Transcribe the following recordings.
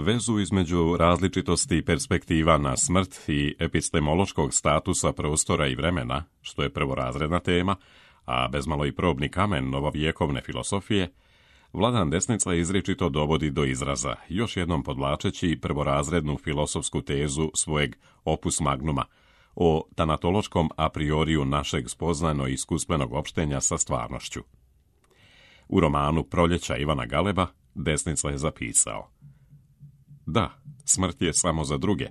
Vezu između različitosti perspektiva na smrt i epistemološkog statusa prostora i vremena, što je prvorazredna tema, a bezmalo i probni kamen novovjekovne filosofije, Vladan Desnica izričito dovodi do izraza, još jednom podvlačeći prvorazrednu filosofsku tezu svojeg opus magnuma o tanatološkom a prioriju našeg spoznano-iskustvenog opštenja sa stvarnošću. U romanu Proljeća Ivana Galeba Desnica je zapisao: Da, smrt je samo za druge,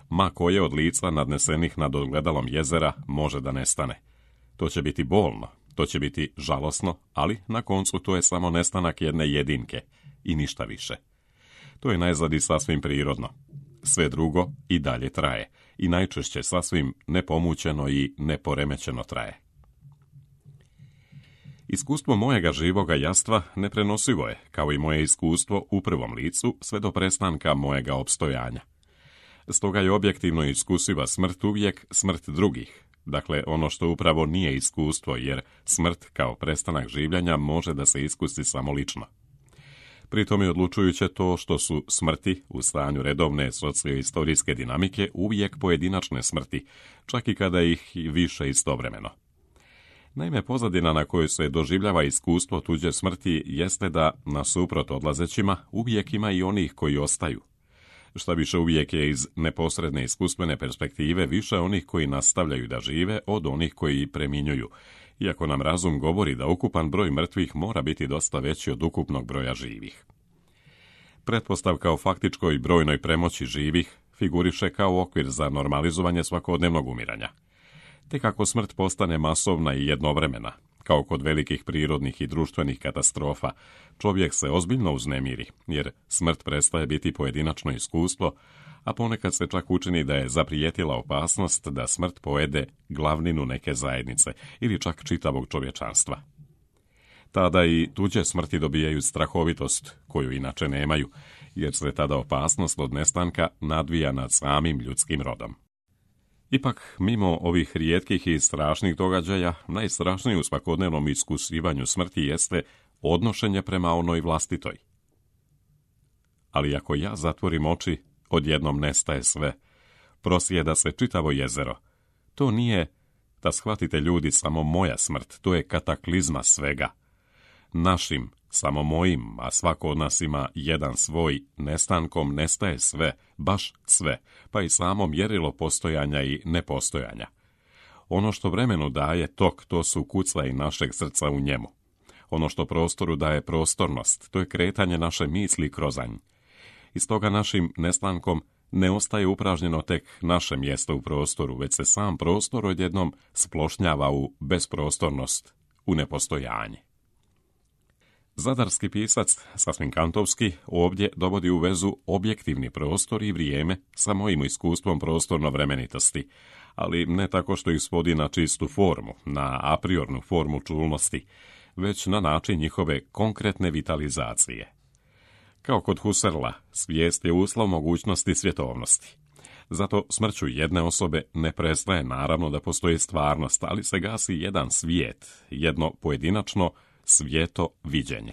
ma koje od lica nadnesenih nad ogledalom jezera može da nestane. To će biti bolno, to će biti žalosno, ali na koncu to je samo nestanak jedne jedinke i ništa više. To je najzad i sasvim prirodno. Sve drugo i dalje traje i najčešće sasvim nepomućeno i neporemećeno traje. Iskustvo mojega živoga jastva neprenosivo je, kao i moje iskustvo u prvom licu, sve do prestanka mojega opstojanja. Stoga je objektivno iskusiva smrt uvijek smrt drugih, dakle ono što upravo nije iskustvo, jer smrt kao prestanak življenja može da se iskusi samo lično. Pritom je odlučujuće to što su smrti u stanju redovne socioistorijske dinamike uvijek pojedinačne smrti, čak i kada ih više istovremeno. Naime, pozadina na kojoj se doživljava iskustvo tuđe smrti jeste da, nasuprot odlazećima, uvijek ima i onih koji ostaju. Šta više, uvijek je iz neposredne iskustvene perspektive više onih koji nastavljaju da žive od onih koji preminjuju, iako nam razum govori da ukupan broj mrtvih mora biti dosta veći od ukupnog broja živih. Pretpostavka o faktičkoj brojnoj premoći živih figuriše kao okvir za normalizovanje svakodnevnog umiranja. Tek ako smrt postane masovna i jednovremena, kao kod velikih prirodnih i društvenih katastrofa, čovjek se ozbiljno uznemiri, jer smrt prestaje biti pojedinačno iskustvo, a ponekad se čak učini da je zaprijetila opasnost da smrt pojede glavninu neke zajednice ili čak čitavog čovječanstva. Tada i tuđe smrti dobijaju strahovitost, koju inače nemaju, jer se tada opasnost od nestanka nadvija nad samim ljudskim rodom. Ipak, mimo ovih rijetkih i strašnih događaja, najstrašniji u svakodnevnom iskusivanju smrti jeste odnošenje prema onoj vlastitoj. Ali ako ja zatvorim oči, odjednom nestaje sve. Prosjeda se čitavo jezero. To nije, da shvatite ljudi, samo moja smrt, to je kataklizma svega. Našim, samo mojim, a svako od nas ima jedan svoj, nestankom nestaje sve, baš sve, pa i samo mjerilo postojanja i nepostojanja. Ono što vremenu daje tok, to su kucaji našeg srca u njemu. Ono što prostoru daje prostornost, to je kretanje naše misli kroz nj. I stoga našim nestankom ne ostaje upražnjeno tek naše mjesto u prostoru, već se sam prostor odjednom splošnjava u besprostornost, u nepostojanje. Zadarski pisac, sasvim kantovski, ovdje dovodi u vezu objektivni prostor i vrijeme sa mojim iskustvom prostorno-vremenitosti, ali ne tako što ih svodi na čistu formu, na apriornu formu čulnosti, već na način njihove konkretne vitalizacije. Kao kod Husserla, svijest je uslov mogućnosti svjetovnosti. Zato smrću jedne osobe ne prestaje naravno da postoji stvarnost, ali se gasi jedan svijet, jedno pojedinačno svijeto viđenje.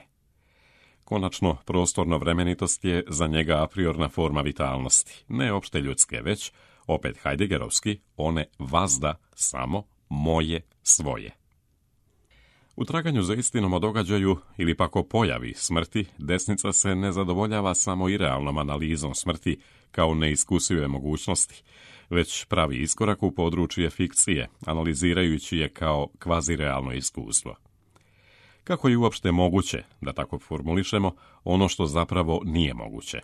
Konačno, prostorno-vremenitost je za njega apriorna forma vitalnosti, ne opšte ljudske, već, opet Heideggerovski, one vazda samo moje svoje. U traganju za istinom o događaju ili pak o pojavi smrti, Desnica se ne zadovoljava samo irealnom analizom smrti kao neiskusive mogućnosti, već pravi iskorak u područje fikcije, analizirajući je kao kvazirealno iskustvo. Kako je uopšte moguće, da tako formulišemo, ono što zapravo nije moguće?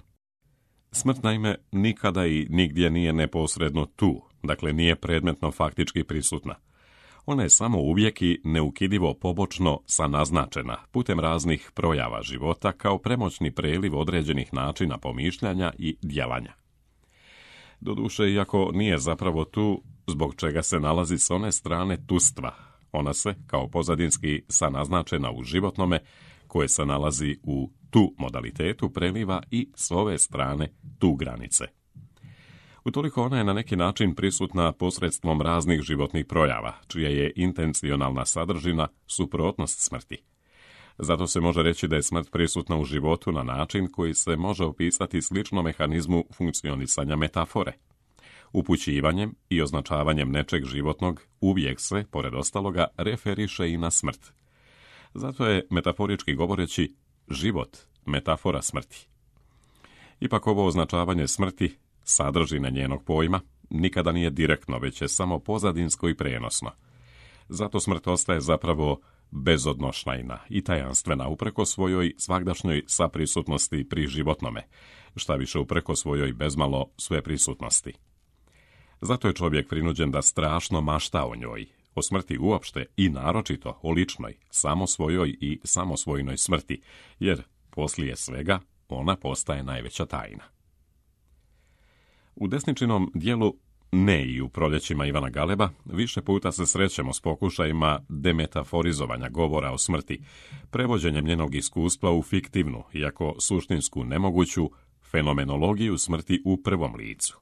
Smrt, naime, nikada i nigdje nije neposredno tu, dakle nije predmetno faktički prisutna. Ona je samo uvijek i neukidivo pobočno sanaznačena putem raznih projava života kao premoćni preliv određenih načina pomišljanja i djelanja. Doduše, iako nije zapravo tu, zbog čega se nalazi s one strane tustva, ona se, kao pozadinski sanaznačena u životnome, koje se nalazi u tu modalitetu, preliva i s ove strane tu granice. Utoliko ona je na neki način prisutna posredstvom raznih životnih projava, čija je intencionalna sadržina suprotnost smrti. Zato se može reći da je smrt prisutna u životu na način koji se može opisati slično mehanizmu funkcionisanja metafore. Upućivanjem i označavanjem nečeg životnog uvijek se, pored ostaloga, referiše i na smrt. Zato je, metaforički govoreći, život metafora smrti. Ipak ovo označavanje smrti, sadržine njenog pojma, nikada nije direktno, već je samo pozadinsko i prenosno. Zato smrt ostaje zapravo bezodnošajna i tajanstvena upreko svojoj svagdašnjoj saprisutnosti pri životnome, šta više upreko svojoj bezmalo sveprisutnosti. Zato je čovjek prinuđen da strašno mašta o njoj, o smrti uopšte i naročito o ličnoj, samosvojoj i samosvojnoj smrti, jer poslije svega ona postaje najveća tajna. U Desničinom dijelu, ne i u Proljećima Ivana Galeba, više puta se srećemo s pokušajima demetaforizovanja govora o smrti, prevođenjem njenog iskustva u fiktivnu, iako suštinsku nemoguću, fenomenologiju smrti u prvom licu.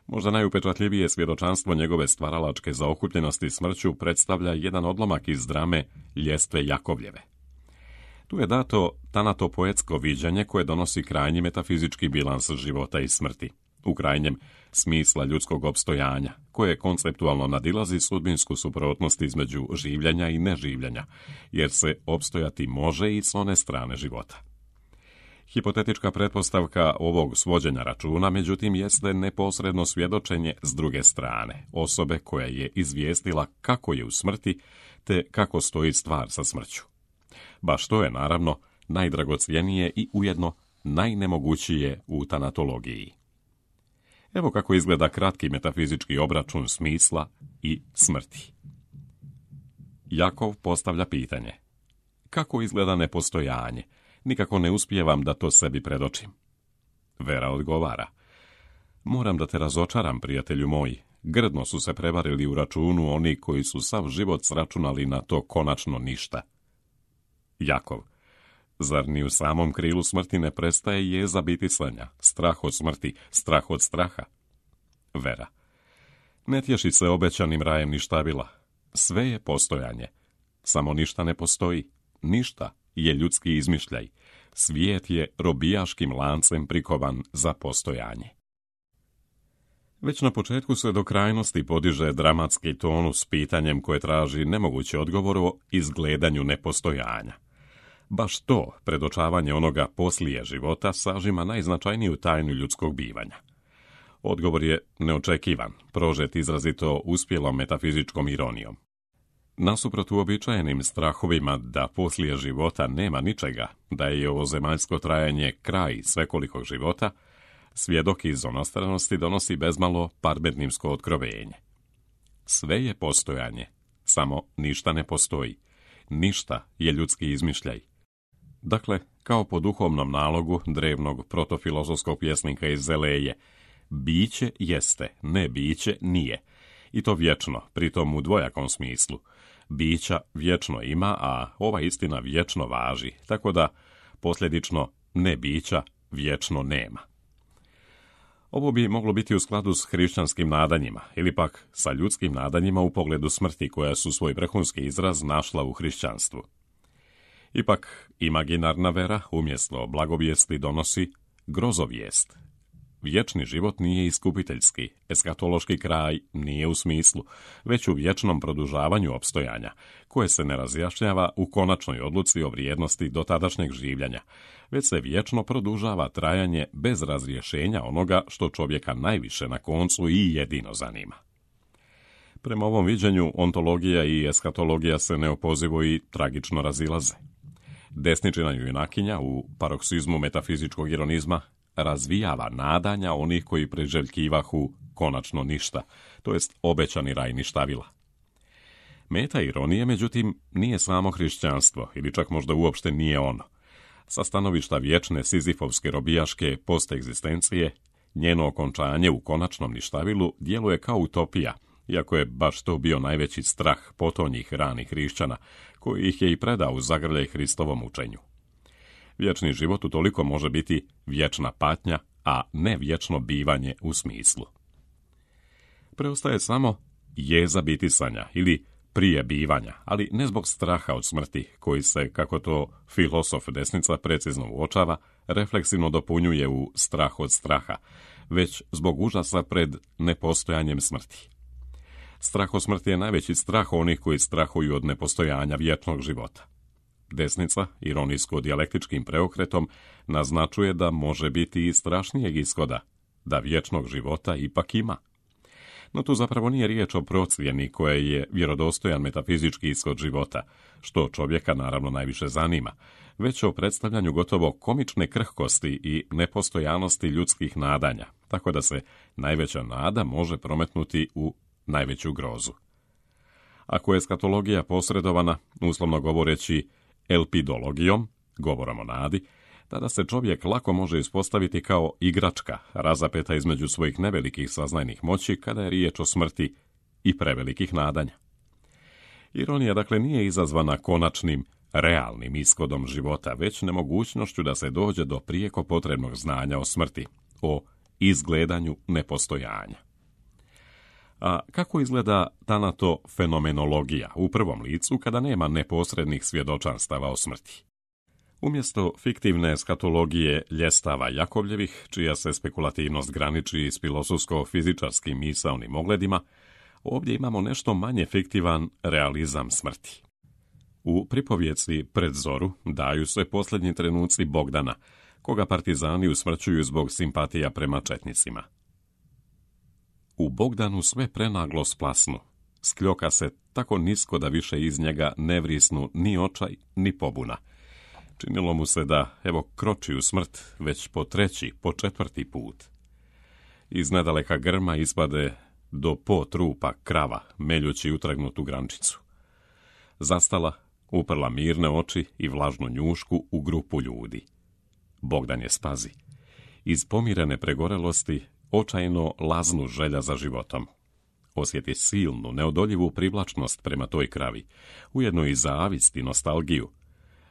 Možda najupečatljivije svjedočanstvo njegove stvaralačke zaokupljenosti smrću predstavlja jedan odlomak iz drame Ljestve Jakovljeve. Tu je dato tanatopoetsko viđanje koje donosi krajnji metafizički bilans života i smrti, u krajnjem smisla ljudskog opstojanja, koje konceptualno nadilazi sudbinsku suprotnost između življenja i neživljenja, jer se opstojati može i s one strane života. Hipotetička pretpostavka ovog svođenja računa, međutim, jeste neposredno svjedočenje s druge strane, osobe koja je izvijestila kako je u smrti, te kako stoji stvar sa smrću. Baš to je, naravno, najdragocjenije i ujedno najnemogućije u tanatologiji. Evo kako izgleda kratki metafizički obračun smisla i smrti. Jakov postavlja pitanje: kako izgleda nepostojanje? Nikako ne uspijevam da to sebi predočim. Vera odgovara: moram da te razočaram, prijatelju moj. Grdno su se prevarili u računu oni koji su sav život sračunali na to konačno ništa. Jakov: zar ni u samom krilu smrti ne prestaje jeza bitisanja, strah od smrti, strah od straha? Vera: ne tješi se obećanim rajem ništavila. Sve je postojanje. Samo ništa ne postoji. Ništa je ljudski izmišljaj. Svijet je robijaškim lancem prikovan za postojanje. Već na početku se do krajnosti podiže dramatski ton s pitanjem koje traži nemoguće odgovor o izgledanju nepostojanja. Baš to, predočavanje onoga poslije života, sažima najznačajniju tajnu ljudskog bivanja. Odgovor je neočekivan, prožet izrazito uspjelom metafizičkom ironijom. Nasuprot uobičajenim strahovima da poslije života nema ničega, da je ovo zemaljsko trajanje kraj svekolikog života, svjedok iz onostranosti donosi bezmalo parmenimsko otkrovenje. Sve je postojanje, samo ništa ne postoji. Ništa je ljudski izmišljaj. Dakle, kao po duhovnom nalogu drevnog protofilozofskog pjesnika iz Zeleje, biće jeste, ne biće nije. I to vječno, pritom u dvojakom smislu. Bića vječno ima, a ova istina vječno važi, tako da posljedično ne bića vječno nema. Ovo bi moglo biti u skladu s hrišćanskim nadanjima, ili pak sa ljudskim nadanjima u pogledu smrti koja su svoj vrhunski izraz našla u hrišćanstvu. Ipak, imaginarna vera umjesto blagovijesti donosi grozovijest. Vječni život nije iskupiteljski, eskatološki kraj nije u smislu, već u vječnom produžavanju opstojanja, koje se ne razjašnjava u konačnoj odluci o vrijednosti dotadašnjeg življenja, već se vječno produžava trajanje bez razrješenja onoga što čovjeka najviše na koncu i jedino zanima. Prema ovom viđenju, ontologija i eskatologija se neopozivo i tragično razilaze. Desničina junakinja u paroksizmu metafizičkog ironizma razvijava nadanja onih koji priželjkivahu konačno ništa, to jest obećani raj ništavila. Meta ironije, međutim, nije samo hrišćanstvo, ili čak možda uopšte nije ono. Sa stanovišta vječne sizifovske robijaške postegzistencije, njeno okončanje u konačnom ništavilu djeluje kao utopija, iako je baš to bio najveći strah potonjih ranih hrišćana, koji ih je i predao u zagrljaj Hristovom učenju. Vječni život utoliko može biti vječna patnja, a ne vječno bivanje u smislu. Preostaje samo jeza bitisanja ili prije bivanja, ali ne zbog straha od smrti, koji se, kako to filosof desnica precizno uočava, refleksivno dopunjuje u strah od straha, već zbog užasa pred nepostojanjem smrti. Strah od smrti je najveći strah onih koji strahuju od nepostojanja vječnog života. Desnica, ironijsko-dijalektičkim preokretom, naznačuje da može biti i strašnijeg ishoda, da vječnog života ipak ima. No tu zapravo nije riječ o procjeni koja je vjerodostojan metafizički ishod života, što čovjeka naravno najviše zanima, već o predstavljanju gotovo komične krhkosti i nepostojanosti ljudskih nadanja, tako da se najveća nada može prometnuti u najveću grozu. Ako je eskatologija posredovana, uslovno govoreći elpidologijom, govorom o nadi, tada se čovjek lako može ispostaviti kao igračka, razapeta između svojih nevelikih saznajnih moći kada je riječ o smrti i prevelikih nadanja. Ironija dakle nije izazvana konačnim, realnim ishodom života, već nemogućnošću da se dođe do prijeko potrebnog znanja o smrti, o izgledanju nepostojanja. A kako izgleda tanatofenomenologija u prvom licu kada nema neposrednih svjedočanstava o smrti? Umjesto fiktivne eskatologije ljestava Jakovljevih, čija se spekulativnost graniči s filozofsko-fizičarskim misaonim ogledima, ovdje imamo nešto manje fiktivan realizam smrti. U pripovjeci Pred zoru daju se posljednji trenuci Bogdana, koga partizani usmrćuju zbog simpatija prema četnicima. U Bogdanu sve prenaglo splasnu, skljoka se tako nisko da više iz njega ne vrisnu ni očaj, ni pobuna. Činilo mu se da, evo, kroči u smrt već po treći, po četvrti put. Iz nedaleka grma ispade do po trupa krava, meljući utragnutu grančicu. Zastala, uprla mirne oči i vlažnu njušku u grupu ljudi. Bogdan je spazi. Iz pomirene pregorelosti očajno laznu želja za životom. Osjeti silnu, neodoljivu privlačnost prema toj kravi, ujedno i zavist i nostalgiju.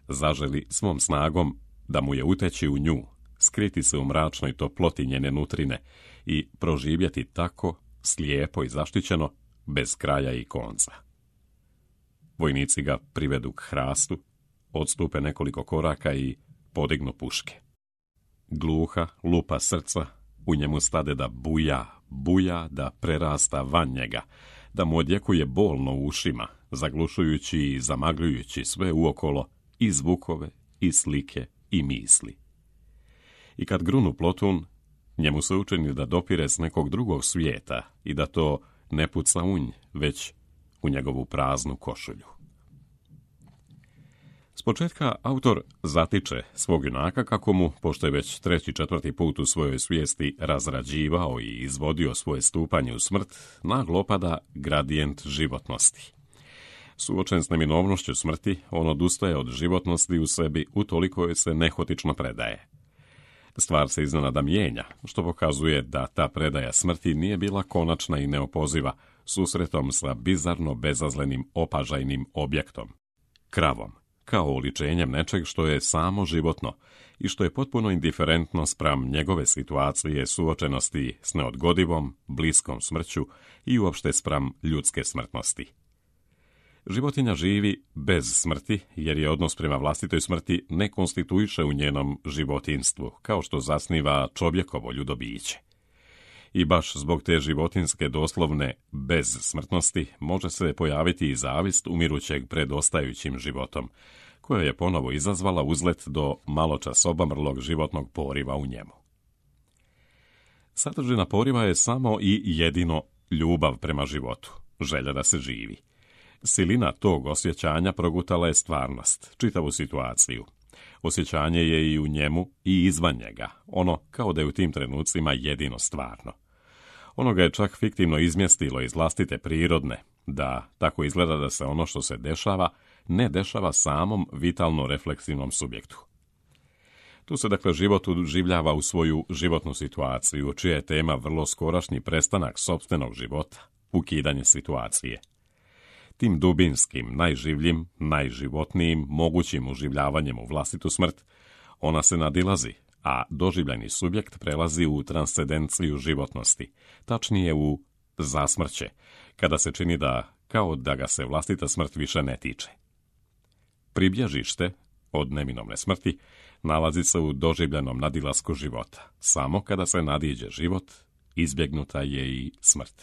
Zaželi svom snagom da mu je uteći u nju, skriti se u mračnoj toploti njene nutrine i proživjeti tako, slijepo i zaštićeno, bez kraja i konca. Vojnici ga privedu k hrastu, odstupe nekoliko koraka i podignu puške. Gluha lupa srca u njemu stade da buja, da prerasta van njega, da mu odjekuje bolno u ušima, zaglušujući i zamagljujući sve uokolo, i zvukove, i slike, i misli. I kad grunu plotun, njemu se učini da dopire s nekog drugog svijeta i da to ne puca unj, već u njegovu praznu košulju. S početka autor zatiče svog junaka kako mu, pošto je već treći, četvrti put u svojoj svijesti razrađivao i izvodio svoje stupanje u smrt, naglo opada gradijent životnosti. Suočen s neminovnošću smrti, on odustaje od životnosti u sebi utoliko joj se nehotično predaje. Stvar se iznenada mijenja, što pokazuje da ta predaja smrti nije bila konačna i neopoziva, susretom sa bizarno bezazlenim opažajnim objektom, kravom, kao oličenjem nečeg što je samo životno i što je potpuno indiferentno spram njegove situacije suočenosti s neodgodivom, bliskom smrću i uopšte spram ljudske smrtnosti. Životinja živi bez smrti, jer je odnos prema vlastitoj smrti ne konstituiše u njenom životinstvu, kao što zasniva čovjekovo ljudobiće. I baš zbog te životinske doslovne bezsmrtnosti može se pojaviti i zavist umirućeg pred ostajućim životom, koja je ponovo izazvala uzlet do maločas obamrlog životnog poriva u njemu. Sadržina poriva je samo i jedino ljubav prema životu, želja da se živi. Silina tog osjećanja progutala je stvarnost, čitavu situaciju. Osjećanje je i u njemu i izvan njega, ono kao da je u tim trenucima jedino stvarno. Ono ga je čak fiktivno izmjestilo iz vlastite prirodne, da tako izgleda da se ono što se dešava, ne dešava samom vitalno refleksivnom subjektu. Tu se dakle život uživljava u svoju životnu situaciju, čija je tema vrlo skorašnji prestanak sopstvenog života, ukidanje situacije. Tim dubinskim, najživljim, najživotnijim, mogućim uživljavanjem u vlastitu smrt, ona se nadilazi, a doživljeni subjekt prelazi u transcendenciju životnosti, tačnije u zasmrće, kada se čini da, kao da ga se vlastita smrt više ne tiče. Pribježište od neminovne smrti nalazi se u doživljenom nadilasku života. Samo kada se nadiđe život, izbjegnuta je i smrt.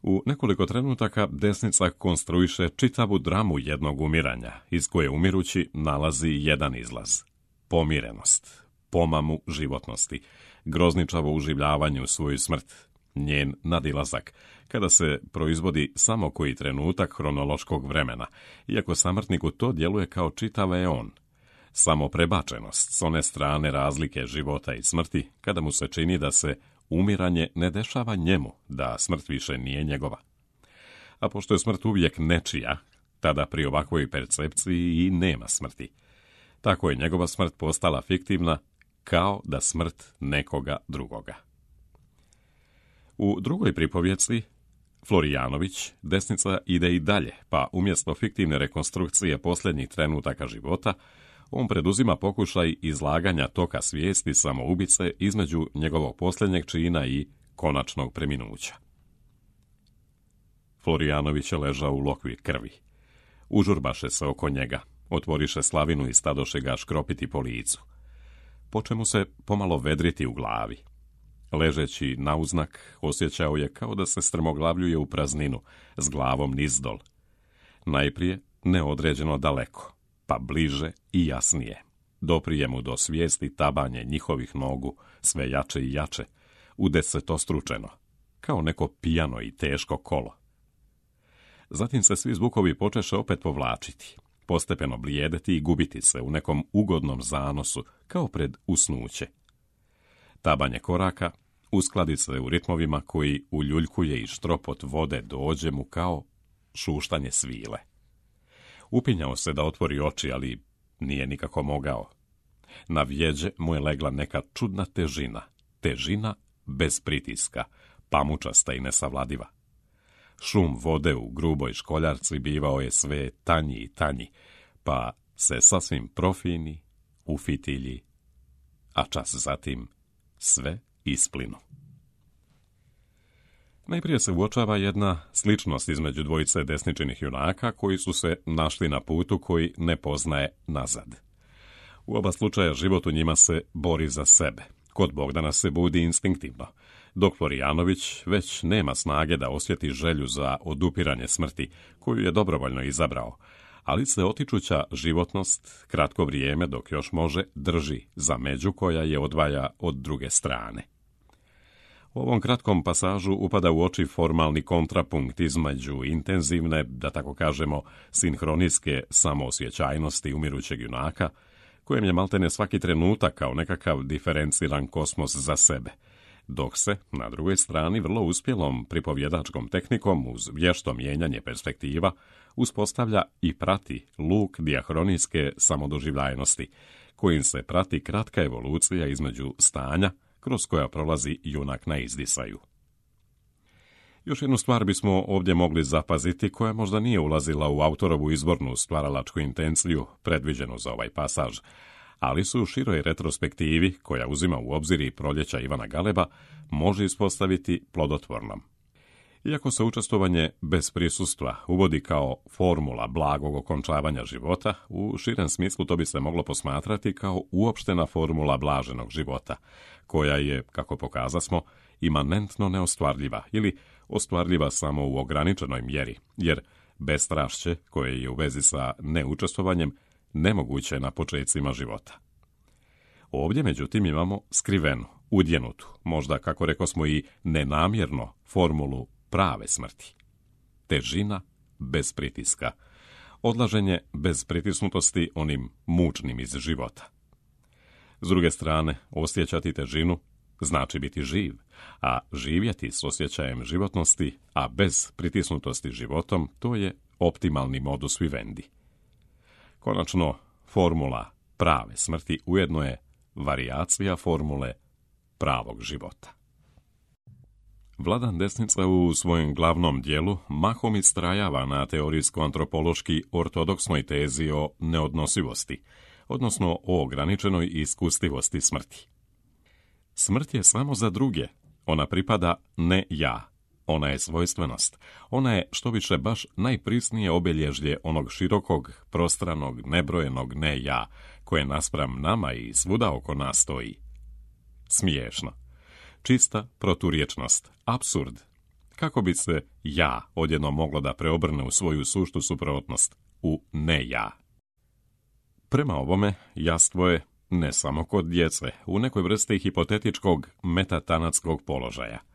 U nekoliko trenutaka desnica konstruiše čitavu dramu jednog umiranja, iz koje umirući nalazi jedan izlaz. Pomirenost, pomamu životnosti, grozničavo uživljavanje u svoju smrt, njen nadilazak, kada se proizvodi samo koji trenutak hronološkog vremena, iako samrtniku to djeluje kao čitav eon. Samo prebačenost s one strane razlike života i smrti, kada mu se čini da se umiranje ne dešava njemu, da smrt više nije njegova. A pošto je smrt uvijek nečija, tada pri ovakvoj percepciji i nema smrti. Tako je njegova smrt postala fiktivna, kao da smrt nekoga drugoga. U drugoj pripovjeci, Florijanović, desnica ide i dalje, pa umjesto fiktivne rekonstrukcije posljednjih trenutaka života, on preduzima pokušaj izlaganja toka svijesti samoubice između njegovog posljednjeg čina i konačnog preminuća. Florijanović je ležao u lokvi krvi. Užurbaše se oko njega, otvoriše slavinu i stadoše ga škropiti po licu. Poče mu se pomalo vedriti u glavi. Ležeći na uznak, osjećao je kao da se strmoglavljuje u prazninu, s glavom nizdol. Najprije neodređeno daleko, pa bliže i jasnije. Doprije mu do svijesti tabanje njihovih nogu, sve jače i jače, udesetostručeno, kao neko pijano i teško kolo. Zatim se svi zvukovi počeše opet povlačiti, postepeno blijedeti i gubiti se u nekom ugodnom zanosu, kao pred usnuće. Tabanje koraka uskladi se u ritmovima koji uljuljkuje i štropot vode dođe mu kao šuštanje svile. Upinjao se da otvori oči, ali nije nikako mogao. Na vjeđe mu je legla neka čudna težina bez pritiska, pamučasta i nesavladiva. Šum vode u gruboj školjarci bivao je sve tanji i tanji, pa se sasvim profini, ufitilji, a čas zatim sve isplinu. Najprije se uočava jedna sličnost između dvojice desničinih junaka koji su se našli na putu koji ne poznaje nazad. U oba slučaja život u njima se bori za sebe. Kod Bogdana se budi instinktivno, dok Florijanović već nema snage da osjeti želju za odupiranje smrti, koju je dobrovoljno izabrao, ali se otičuća životnost, kratko vrijeme dok još može, drži za među koja je odvaja od druge strane. U ovom kratkom pasažu upada u oči formalni kontrapunkt između intenzivne, da tako kažemo, sinhronijske samoosjećajnosti umirućeg junaka, kojem je maltene svaki trenutak kao nekakav diferenciran kosmos za sebe, dok se, na drugoj strani, vrlo uspjelom pripovjedačkom tehnikom uz vješto mijenjanje perspektiva uspostavlja i prati luk dijahronijske samodoživljajnosti, kojim se prati kratka evolucija između stanja kroz koja prolazi junak na izdisaju. Još jednu stvar bismo ovdje mogli zapaziti koja možda nije ulazila u autorovu izvornu stvaralačku intenciju predviđenu za ovaj pasaž, ali su u široj retrospektivi, koja uzima u obzir i proljeća Ivana Galeba, može ispostaviti plodotvornom. Iako se učestvovanje bez prisustva uvodi kao formula blagog okončavanja života, u širem smislu to bi se moglo posmatrati kao uopštena formula blaženog života, koja je, kako pokazasmo, imanentno neostvarljiva ili ostvarljiva samo u ograničenoj mjeri, jer bestrašće, koje je u vezi sa neučestvovanjem, nemoguće na počecima života. Ovdje, međutim, imamo skrivenu, udjenutu, možda, kako rekosmo, i nenamjerno formulu prave smrti. Težina bez pritiska, odlaženje bez pritisnutosti onim mučnim iz života. S druge strane, osjećati težinu znači biti živ, a živjeti s osjećajem životnosti, a bez pritisnutosti životom, to je optimalni modus vivendi. Konačno, formula prave smrti ujedno je varijacija formule pravog života. Vladan Desnica u svojem glavnom dijelu mahom istrajava na teorijsko-antropološki ortodoksnoj tezi o neodnosivosti, odnosno o ograničenoj iskustivosti smrti. Smrt je samo za druge, ona pripada ne ja, Ona je svojstvenost. Ona je, što više, baš najprisnije obilježje onog širokog, prostranog, nebrojenog ne ja, koje naspram nama i svuda oko nas stoji. Smiješno. Čista proturječnost. Apsurd. Kako bi se ja odjednom moglo da preobrne u svoju suštu suprotnost, u ne ja? Prema ovome, jastvo je, ne samo kod djece, u nekoj vrsti hipotetičkog metatanatskog položaja.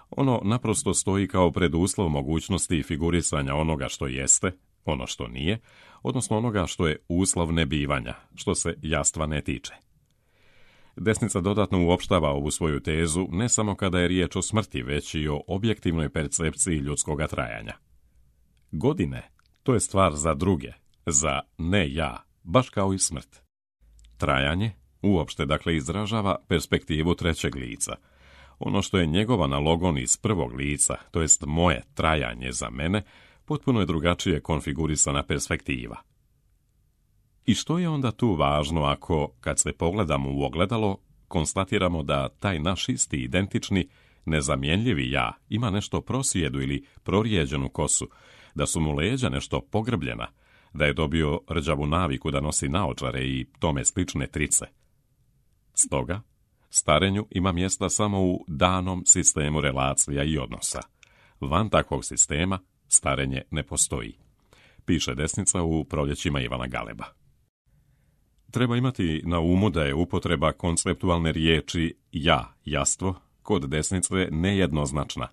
Ono naprosto stoji kao preduslov mogućnosti figurisanja onoga što jeste, ono što nije, odnosno onoga što je uslov nebivanja, što se jastva ne tiče. Desnica dodatno uopštava ovu svoju tezu ne samo kada je riječ o smrti, već i o objektivnoj percepciji ljudskoga trajanja. Godine, to je stvar za druge, za ne ja, baš kao i smrt. Trajanje uopšte dakle izražava perspektivu trećeg lica. Ono što je njegov analogon iz prvog lica, to jest moje trajanje za mene, potpuno je drugačije konfigurisana perspektiva. I što je onda tu važno ako, kad se pogledamo u ogledalo, konstatiramo da taj naš isti, identični, nezamjenljivi ja ima nešto prosjedu ili prorijeđenu kosu, da su mu leđa nešto pogrbljena, da je dobio rđavu naviku da nosi naočare i tome slične trice. Stoga, starenju ima mjesta samo u danom sistemu relacija i odnosa. Van takvog sistema starenje ne postoji, piše desnica u Proljećima Ivana Galeba. Treba imati na umu da je upotreba konceptualne riječi ja, jastvo, kod desnice nejednoznačna.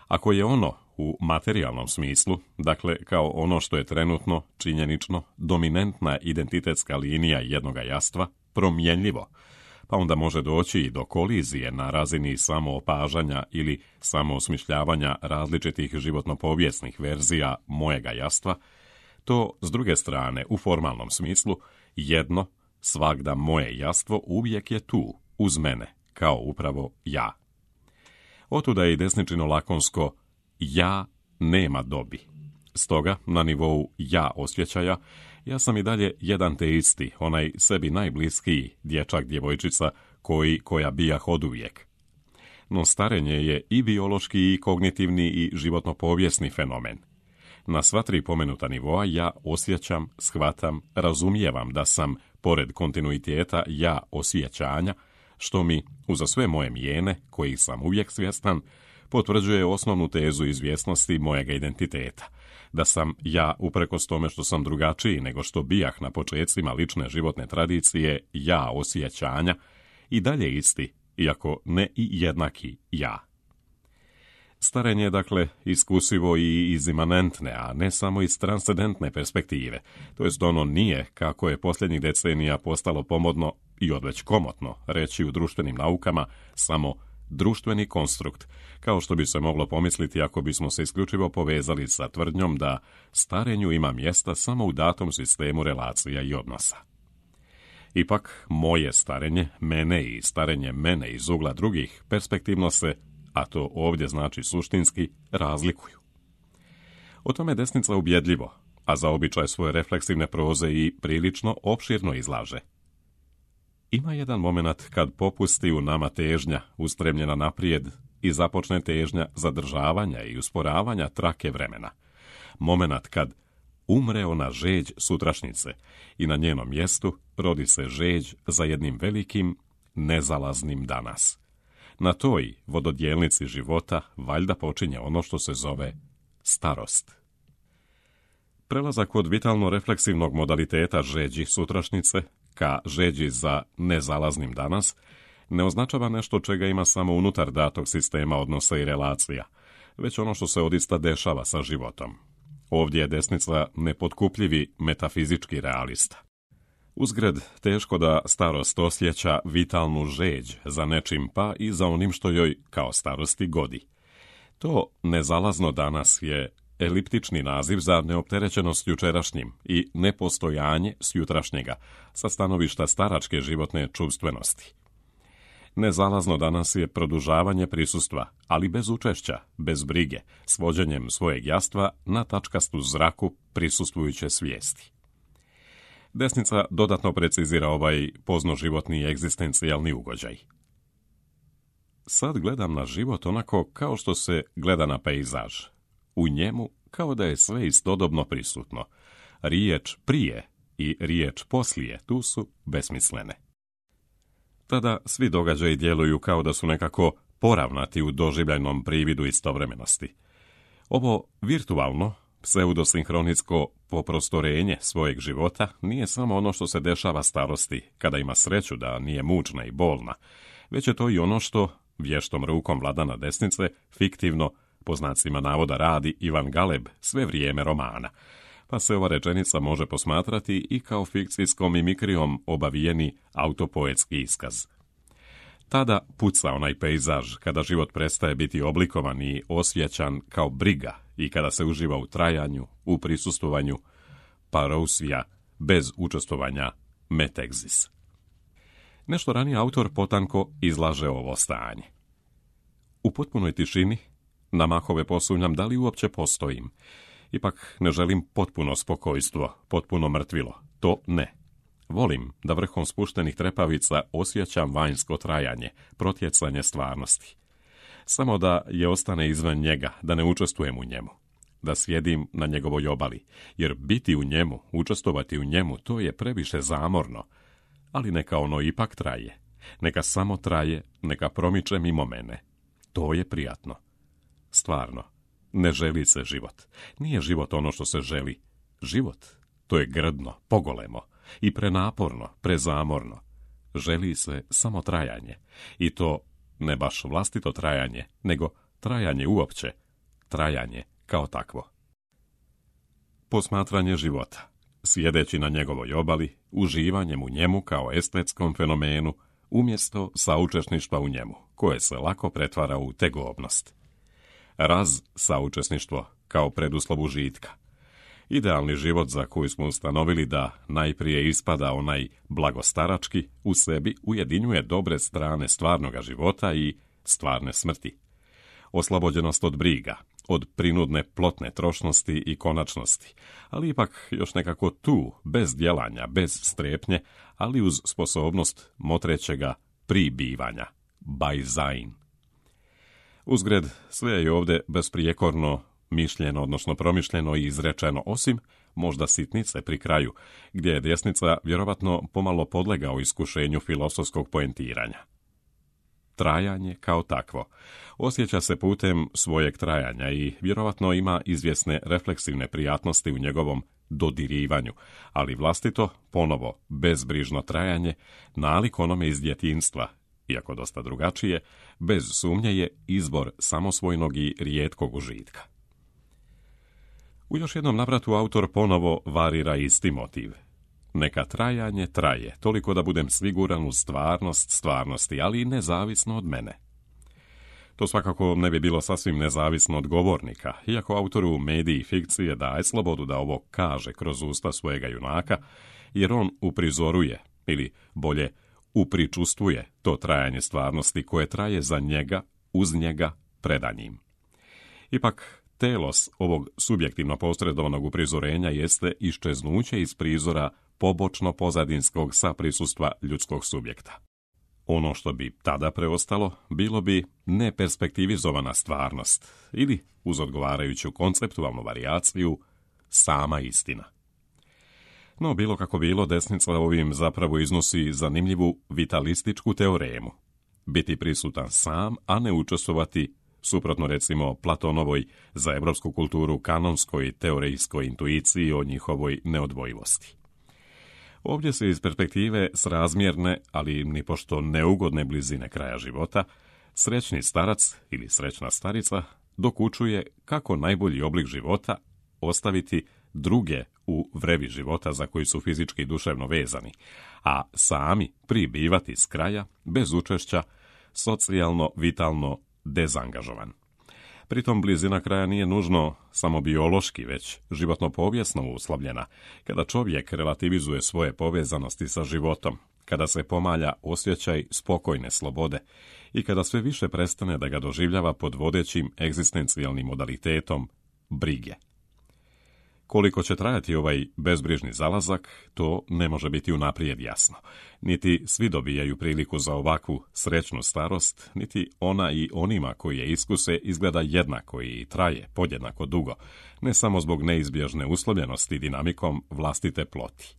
Ako je ono u materijalnom smislu, dakle kao ono što je trenutno, činjenično, dominantna identitetska linija jednoga jastva, promjenljivo, pa onda može doći i do kolizije na razini samoopažanja ili samoosmišljavanja različitih životno-povijesnih verzija mojega jastva, to, s druge strane, u formalnom smislu, jedno, svagda moje jastvo uvijek je tu, uz mene, kao upravo ja. Otuda je i desničino lakonsko ja nema dobi. Stoga, na nivou ja osjećaja, ja sam i dalje jedan te isti, onaj sebi najbliskiji dječak, djevojčica, koja bijah oduvijek. No starenje je i biološki, i kognitivni, i životno-povijesni fenomen. Na sva tri pomenuta nivoa ja osjećam, shvatam, razumijevam da sam, pored kontinuiteta ja osjećanja, što mi, uza sve moje mijene, kojih sam uvijek svjestan, potvrđuje osnovnu tezu izvjesnosti mojega identiteta, da sam ja, uprkos tome što sam drugačiji nego što bijah na počecima lične životne tradicije ja osjećanja, i dalje isti, iako ne i jednaki ja. Starenje je, dakle, iskusivo i iz imanentne, a ne samo iz transcendentne perspektive, to jest ono nije, kako je posljednjih decenija postalo pomodno i odveć komotno reći u društvenim naukama, samo društveni konstrukt, kao što bi se moglo pomisliti ako bismo se isključivo povezali sa tvrdnjom da starenju ima mjesta samo u datom sistemu relacija i odnosa. Ipak, moje starenje, mene i starenje mene iz ugla drugih perspektivno se, a to ovdje znači suštinski, razlikuju. O tome desnica ubjedljivo, a za običaj svoje refleksivne proze i prilično opširno izlaže. Ima jedan moment kad popusti u nama težnja ustremljena naprijed i započne težnja zadržavanja i usporavanja trake vremena. Moment kad umre ona žeđ sutrašnjice i na njenom mjestu rodi se žeđ za jednim velikim, nezalaznim danas. Na toj vododjelnici života valjda počinje ono što se zove starost. Prelazak od vitalno-refleksivnog modaliteta žeđi sutrašnjice ka žeđi za nezalaznim danas ne označava nešto čega ima samo unutar datog sistema odnosa i relacija, već ono što se odista dešava sa životom. Ovdje je desnica nepotkupljivi metafizički realista. Uzgred, teško da starost osjeća vitalnu žeđ za nečim pa i za onim što joj kao starosti godi. To nezalazno danas je eliptični naziv za neopterećenost jučerašnjim i nepostojanje s jutrašnjega sa stanovišta staračke životne čuvstvenosti. Nezalazno danas je produžavanje prisustva, ali bez učešća, bez brige, svođenjem svojeg jastva na tačkastu zraku prisustvujuće svijesti. Desnica dodatno precizira ovaj poznoživotni egzistencijalni ugođaj. sad gledam na život onako kao što se gleda na pejzaž. U njemu kao da je sve istodobno prisutno. Riječ prije i riječ poslije tu su besmislene. Tada svi događaji djeluju kao da su nekako poravnati u doživljajnom prividu istovremenosti. Ovo virtualno, pseudosinhronitsko poprostorenje svojeg života nije samo ono što se dešava starosti, kada ima sreću da nije mučna i bolna, već je to i ono što vještom rukom Vladana Desnice fiktivno, po znacima navoda, radi Ivan Galeb sve vrijeme romana, pa se ova rečenica može posmatrati i kao fikcijskom mimikrijom obavijeni autopoetski iskaz. Tada puca onaj pejzaž kada život prestaje biti oblikovan i osjećan kao briga i kada se uživa u trajanju, u prisustvovanju parousija bez učestvovanja metexis. Nešto ranije autor potanko izlaže ovo stanje. U potpunoj tišini na mahove posumnjam da li uopće postojim. Ipak ne želim potpuno spokojstvo, potpuno mrtvilo. To ne. Volim da vrhom spuštenih trepavica osjećam vanjsko trajanje, protjecanje stvarnosti. Samo da je ostane izvan njega, da ne učestvujem u njemu. Da sjedim na njegovoj obali, jer biti u njemu, učestvovati u njemu, to je previše zamorno. Ali neka ono ipak traje. Neka samo traje, neka promiče mimo mene. To je prijatno. Stvarno, ne želi se život. Nije život ono što se želi. Život, to je grdno, pogolemo i prenaporno, prezamorno. Želi se samo trajanje. I to ne baš vlastito trajanje, nego trajanje uopće. Trajanje kao takvo. Posmatranje života. Sjedeći na njegovoj obali, uživanjem u njemu kao estetskom fenomenu, umjesto saučesništva u njemu, koje se lako pretvara u tegobnost. Saučesništvo kao preduslov užitka. Idealni život za koji smo ustanovili da najprije ispada onaj blagostarački, u sebi ujedinjuje dobre strane stvarnoga života i stvarne smrti. Oslobođenost od briga, od prinudne plotne trošnosti i konačnosti, ali ipak još nekako tu, bez djelanja, bez strepnje, ali uz sposobnost motrećega pribivanja, Beisein. Uzgred, sve je ovdje besprijekorno mišljeno, odnosno promišljeno i izrečeno, osim možda sitnice pri kraju, gdje je desnica vjerovatno pomalo podlegao iskušenju filozofskog poentiranja. Trajanje kao takvo osjeća se putem svojeg trajanja i vjerovatno ima izvjesne refleksivne prijatnosti u njegovom dodirivanju, ali vlastito, ponovo, bezbrižno trajanje, nalik onome iz djetinjstva, iako dosta drugačije, bez sumnje je izbor samosvojnog i rijetkog užitka. U još jednom navratu autor ponovo varira isti motiv. Neka trajanje traje, toliko da budem siguran u stvarnost stvarnosti, ali i nezavisno od mene. To svakako ne bi bilo sasvim nezavisno od govornika, iako autoru mediji i fikcije daje slobodu da ovo kaže kroz usta svojega junaka, jer on uprizoruje, ili bolje upričustvuje to trajanje stvarnosti koje traje za njega, uz njega, predanjim. Ipak, telos ovog subjektivno posredovanog uprizorenja jeste iščeznuće iz prizora pobočno pozadinskog saprisustva ljudskog subjekta. Ono što bi tada preostalo, bilo bi neperspektivizovana stvarnost ili, uz odgovarajuću konceptualnu varijaciju, sama istina. No, bilo kako bilo, desnica ovim zapravo iznosi zanimljivu vitalističku teoremu. Biti prisutan sam, a ne učestvovati, suprotno recimo Platonovoj za evropsku kulturu kanonskoj teorijskoj intuiciji o njihovoj neodvojivosti. Ovdje se iz perspektive srazmjerne, ali nipošto neugodne blizine kraja života, srećni starac ili srećna starica dokučuje kako najbolji oblik života ostaviti druge u vrevi života za koji su fizički i duševno vezani, a sami pribivati s kraja, bez učešća, socijalno, vitalno dezangažovan. Pritom blizina kraja nije nužno samo biološki, već životno-povijesno uslovljena, kada čovjek relativizuje svoje povezanosti sa životom, kada se pomalja osjećaj spokojne slobode i kada sve više prestane da ga doživljava pod vodećim egzistencijalnim modalitetom brige. Koliko će trajati ovaj bezbrižni zalazak, to ne može biti unaprijed jasno. Niti svi dobijaju priliku za ovakvu srećnu starost, niti ona i onima koji je iskuse izgleda jednako i traje podjednako dugo, ne samo zbog neizbježne uslovljenosti dinamikom vlastite ploti.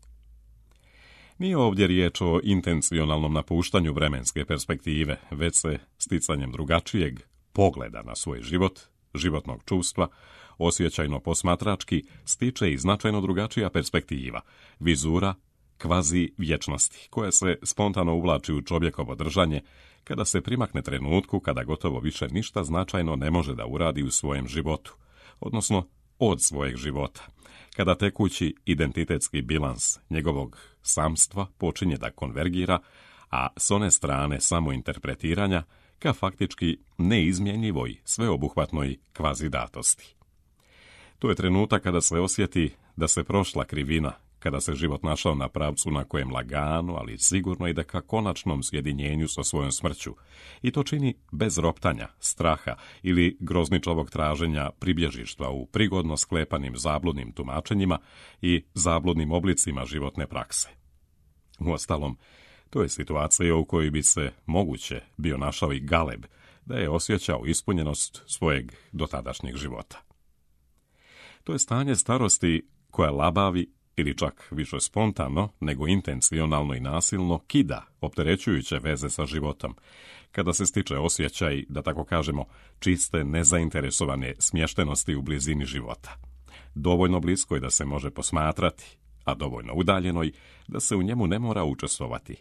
Nije ovdje riječ o intencionalnom napuštanju vremenske perspektive, već se sticanjem drugačijeg pogleda na svoj život, životnog čuvstva, osjećajno posmatrački, stiče i značajno drugačija perspektiva, vizura kvazi vječnosti, koja se spontano uvlači u čovjekovo držanje kada se primakne trenutku kada gotovo više ništa značajno ne može da uradi u svojem životu, odnosno od svojeg života, kada tekući identitetski bilans njegovog samstva počinje da konvergira, a s one strane samointerpretiranja ka faktički neizmjenjivoj, sveobuhvatnoj kvazidatosti. To je trenutak kada se osjeti da se prošla krivina, kada se život našao na pravcu na kojem lagano, ali sigurno ide ka konačnom sjedinjenju sa svojom smrću, i to čini bez roptanja, straha ili grozničavog traženja pribježištva u prigodno sklepanim zabludnim tumačenjima i zabludnim oblicima životne prakse. Uostalom, to je situacija u kojoj bi se moguće bio našao i Galeb, da je osjećao ispunjenost svojeg dotadašnjeg života. To je stanje starosti koja labavi ili čak više spontano nego intencionalno i nasilno kida opterećujuće veze sa životom, kada se stiče osjećaj, da tako kažemo, čiste nezainteresovane smještenosti u blizini života. Dovoljno bliskoj da se može posmatrati, a dovoljno udaljenoj da se u njemu ne mora učestvovati.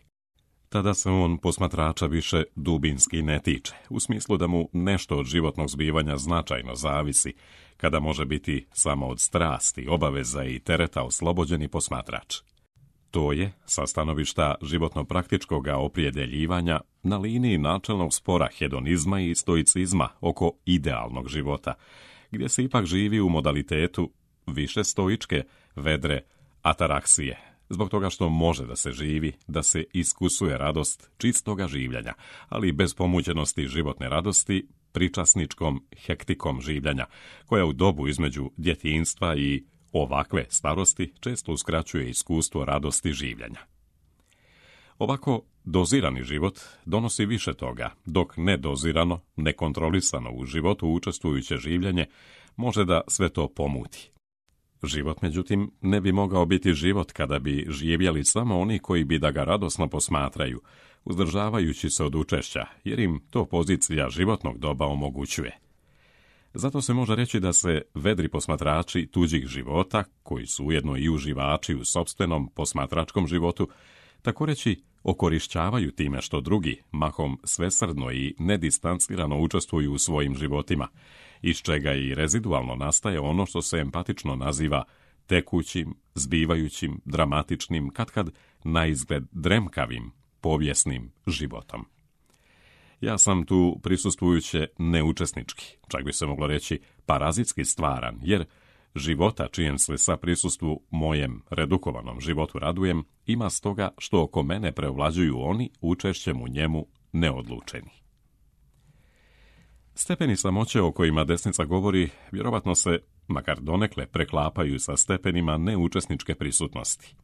Tada se on posmatrača više dubinski ne tiče, u smislu da mu nešto od životnog zbivanja značajno zavisi, kada može biti samo od strasti, obaveza i tereta oslobođeni posmatrač. To je, sa stanovišta životno-praktičkog opredjeljivanja, na liniji načelnog spora hedonizma i stoicizma oko idealnog života, gdje se ipak živi u modalitetu više stoičke, vedre ataraksije, zbog toga što može da se živi, da se iskusuje radost čistoga življenja, ali bez pomućenosti životne radosti, pričasničkom hektikom življenja, koja u dobu između djetinjstva i ovakve starosti često uskraćuje iskustvo radosti življenja. Ovako dozirani život donosi više toga, dok nedozirano, nekontrolisano u životu učestvujuće življenje može da sve to pomuti. Život, međutim, ne bi mogao biti život kada bi živjeli samo oni koji bi da ga radosno posmatraju, uzdržavajući se od učešća, jer im to pozicija životnog doba omogućuje. Zato se može reći da se vedri posmatrači tuđih života, koji su ujedno i uživači u sopstvenom posmatračkom životu, tako reći okorišćavaju time što drugi, mahom svesrdno i nedistancirano učestvuju u svojim životima, iz čega i rezidualno nastaje ono što se empatično naziva tekućim, zbivajućim, dramatičnim, katkad naizgled dremkavim, povijesnim životom. Ja sam tu prisustvujuće neučesnički, čak bi se moglo reći parazitski stvaran, jer života čijem se sa prisustvu mojem redukovanom životu radujem, ima stoga što oko mene preovlađuju oni učešćem u njemu neodlučeni. Stepeni samoće o kojima desnica govori vjerovatno se, makar donekle, preklapaju sa stepenima neučesničke prisutnosti.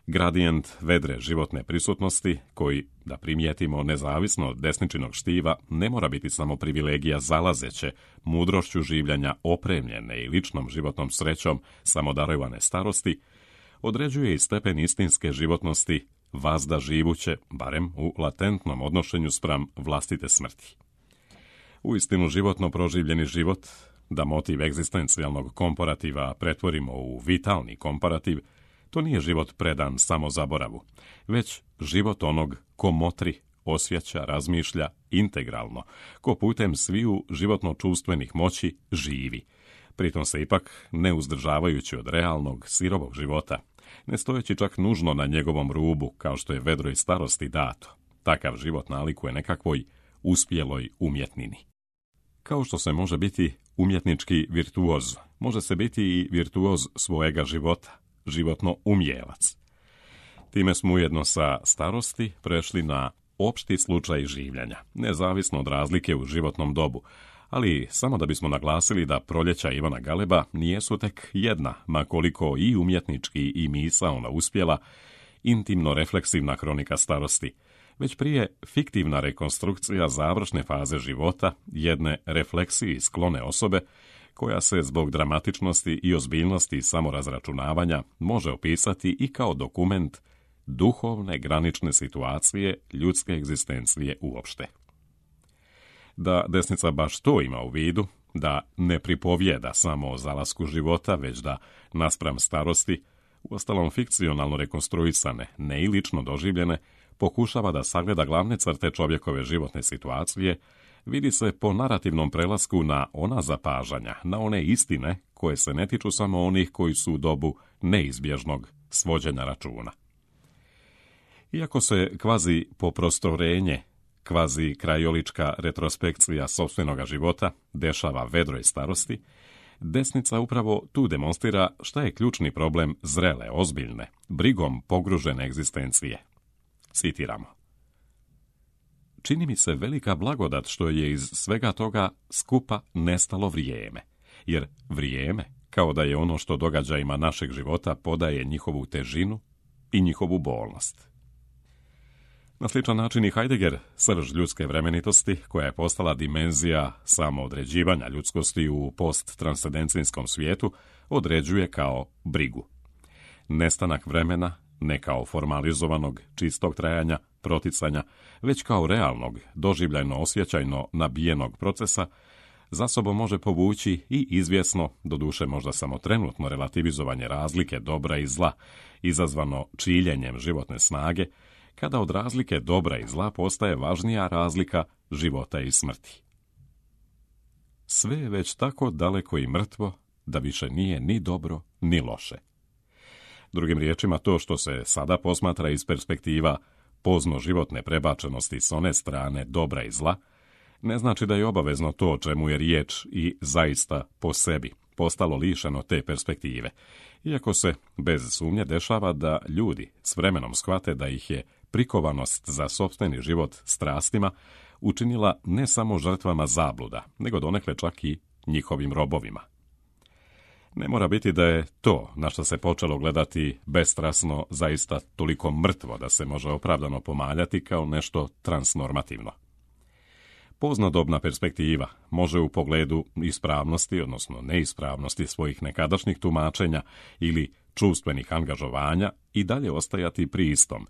Gradijent vedre životne prisutnosti, koji, da primijetimo nezavisno od desničinog štiva, ne mora biti samo privilegija zalazeće, mudrošću življenja opremljene i ličnom životnom srećom samodarovane starosti, određuje i stepen istinske životnosti vazda živuće, barem u latentnom odnošenju spram vlastite smrti. Uistinu životno proživljeni život, da motiv egzistencijalnog komparativa pretvorimo u vitalni komparativ, to nije život predan samo zaboravu, već život onog ko motri, osjeća, razmišlja integralno, ko putem sviju životno-čuvstvenih moći živi, pritom se ipak ne uzdržavajući od realnog, sirovog života, ne stojeći čak nužno na njegovom rubu, kao što je vedroj starosti dato. Takav život nalikuje nekakvoj uspjeloj umjetnini. Kao što se može biti umjetnički virtuoz, može se biti i virtuoz svojega života, životno umjelac. Time smo ujedno sa starosti prešli na opšti slučaj življenja, nezavisno od razlike u životnom dobu, ali samo da bismo naglasili da proljeća Ivana Galeba nijesu tek jedna, ma koliko i umjetnički i misaona uspjela, intimno refleksivna kronika starosti, već prije fiktivna rekonstrukcija završne faze života jedne refleksiji sklone osobe koja se zbog dramatičnosti i ozbiljnosti samorazračunavanja može opisati i kao dokument duhovne granične situacije ljudske egzistencije uopšte. Da desnica baš to ima u vidu, da ne pripovijeda samo o zalasku života, već da, naspram starosti, uostalom fikcionalno rekonstruisane, ne i lično doživljene, pokušava da sagleda glavne crte čovjekove životne situacije, vidi se po narativnom prelasku na ona zapažanja, na one istine koje se ne tiču samo onih koji su u dobu neizbježnog svođenja računa. Iako se kvazi poprostorenje, kvazi krajolička retrospekcija sopstvenoga života dešava vedroj starosti, desnica upravo tu demonstrira šta je ključni problem zrele, ozbiljne, brigom pogružene egzistencije. Citiramo. Čini mi se velika blagodat što je iz svega toga skupa nestalo vrijeme, jer vrijeme, kao da je ono što događajima našeg života podaje njihovu težinu i njihovu bolnost. Na sličan način i Heidegger, srž ljudske vremenitosti, koja je postala dimenzija samoodređivanja ljudskosti u posttranscendencijskom svijetu, određuje kao brigu. Nestanak vremena, ne kao formalizovanog, čistog trajanja, proticanja, već kao realnog, doživljajno osjećajno nabijenog procesa, za sobom može povući i izvjesno, doduše možda samo trenutno relativizovanje razlike dobra i zla, izazvano čiljenjem životne snage, kada od razlike dobra i zla postaje važnija razlika života i smrti. Sve je već tako daleko i mrtvo da više nije ni dobro ni loše. Drugim riječima, to što se sada posmatra iz perspektiva pozno životne prebačenosti s one strane dobra i zla, ne znači da je obavezno to o čemu je riječ i zaista po sebi postalo lišeno te perspektive, iako se bez sumnje dešava da ljudi s vremenom shvate da ih je prikovanost za sopstveni život strastima učinila ne samo žrtvama zabluda, nego donekle čak i njihovim robovima. Ne mora biti da je to, na što se počelo gledati bestrasno, zaista toliko mrtvo da se može opravdano pomaljati kao nešto transnormativno. Poznodobna perspektiva može u pogledu ispravnosti, odnosno neispravnosti svojih nekadašnjih tumačenja ili čuvstvenih angažovanja i dalje ostajati pri istom,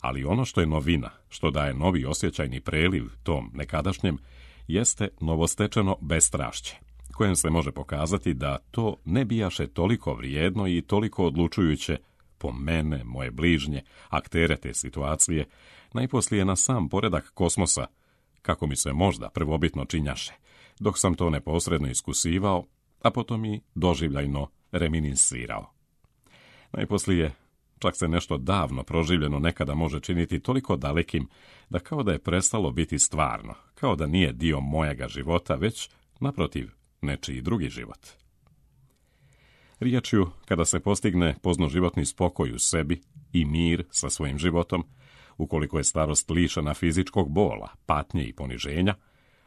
ali ono što je novina, što daje novi osjećajni preliv tom nekadašnjem, jeste novostečeno bestrašće, kojem se može pokazati da to ne bijaše toliko vrijedno i toliko odlučujuće po mene, moje bližnje, aktere te situacije, najposlije na sam poredak kosmosa, kako mi se možda prvobitno činjaše, dok sam to neposredno iskusivao, a potom i doživljajno reminiscirao. Najposlije, čak se nešto davno proživljeno nekada može činiti toliko dalekim da kao da je prestalo biti stvarno, kao da nije dio mojega života, već, naprotiv, nečiji drugi život. Riječju, kada se postigne poznoživotni spokoj u sebi i mir sa svojim životom, ukoliko je starost lišena fizičkog bola, patnje i poniženja,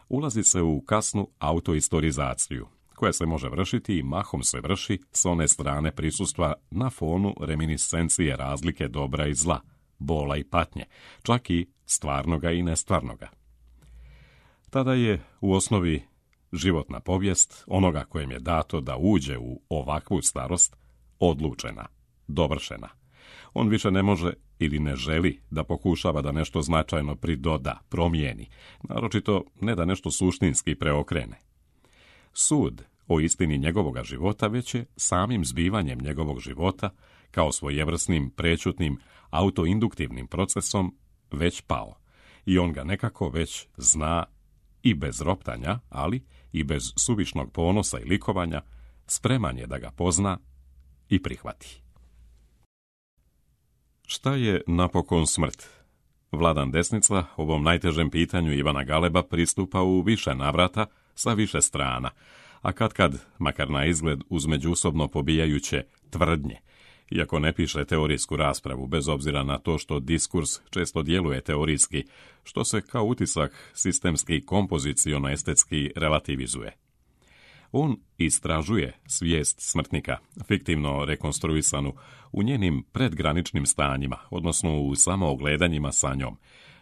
ulazi se u kasnu autoistorizaciju, koja se može vršiti i mahom se vrši s one strane prisustva na fonu reminiscencije razlike dobra i zla, bola i patnje, čak i stvarnoga i nestvarnoga. Tada je u osnovi životna povijest onoga kojem je dato da uđe u ovakvu starost odlučena, dovršena. On više ne može ili ne želi da pokušava da nešto značajno pridoda, promijeni, naročito ne da nešto suštinski preokrene. Sud o istini njegovoga života već je samim zbivanjem njegovog života, kao svojevrsnim prećutnim autoinduktivnim procesom, već pao. I on ga nekako već zna i bez roptanja, ali i bez suvišnog ponosa i likovanja, spreman je da ga pozna i prihvati. Šta je napokon smrt? Vladan Desnica ovom najtežem pitanju Ivana Galeba pristupa u više navrata sa više strana, a kad, makar na izgled uz međusobno pobijajuće tvrdnje, Iako ne piše teorijsku raspravu, bez obzira na to što diskurs često djeluje teorijski, što se kao utisak sistemski kompoziciono-estetski relativizuje. On istražuje svijest smrtnika, fiktivno rekonstruisanu, u njenim predgraničnim stanjima, odnosno u samoogledanjima sa njom,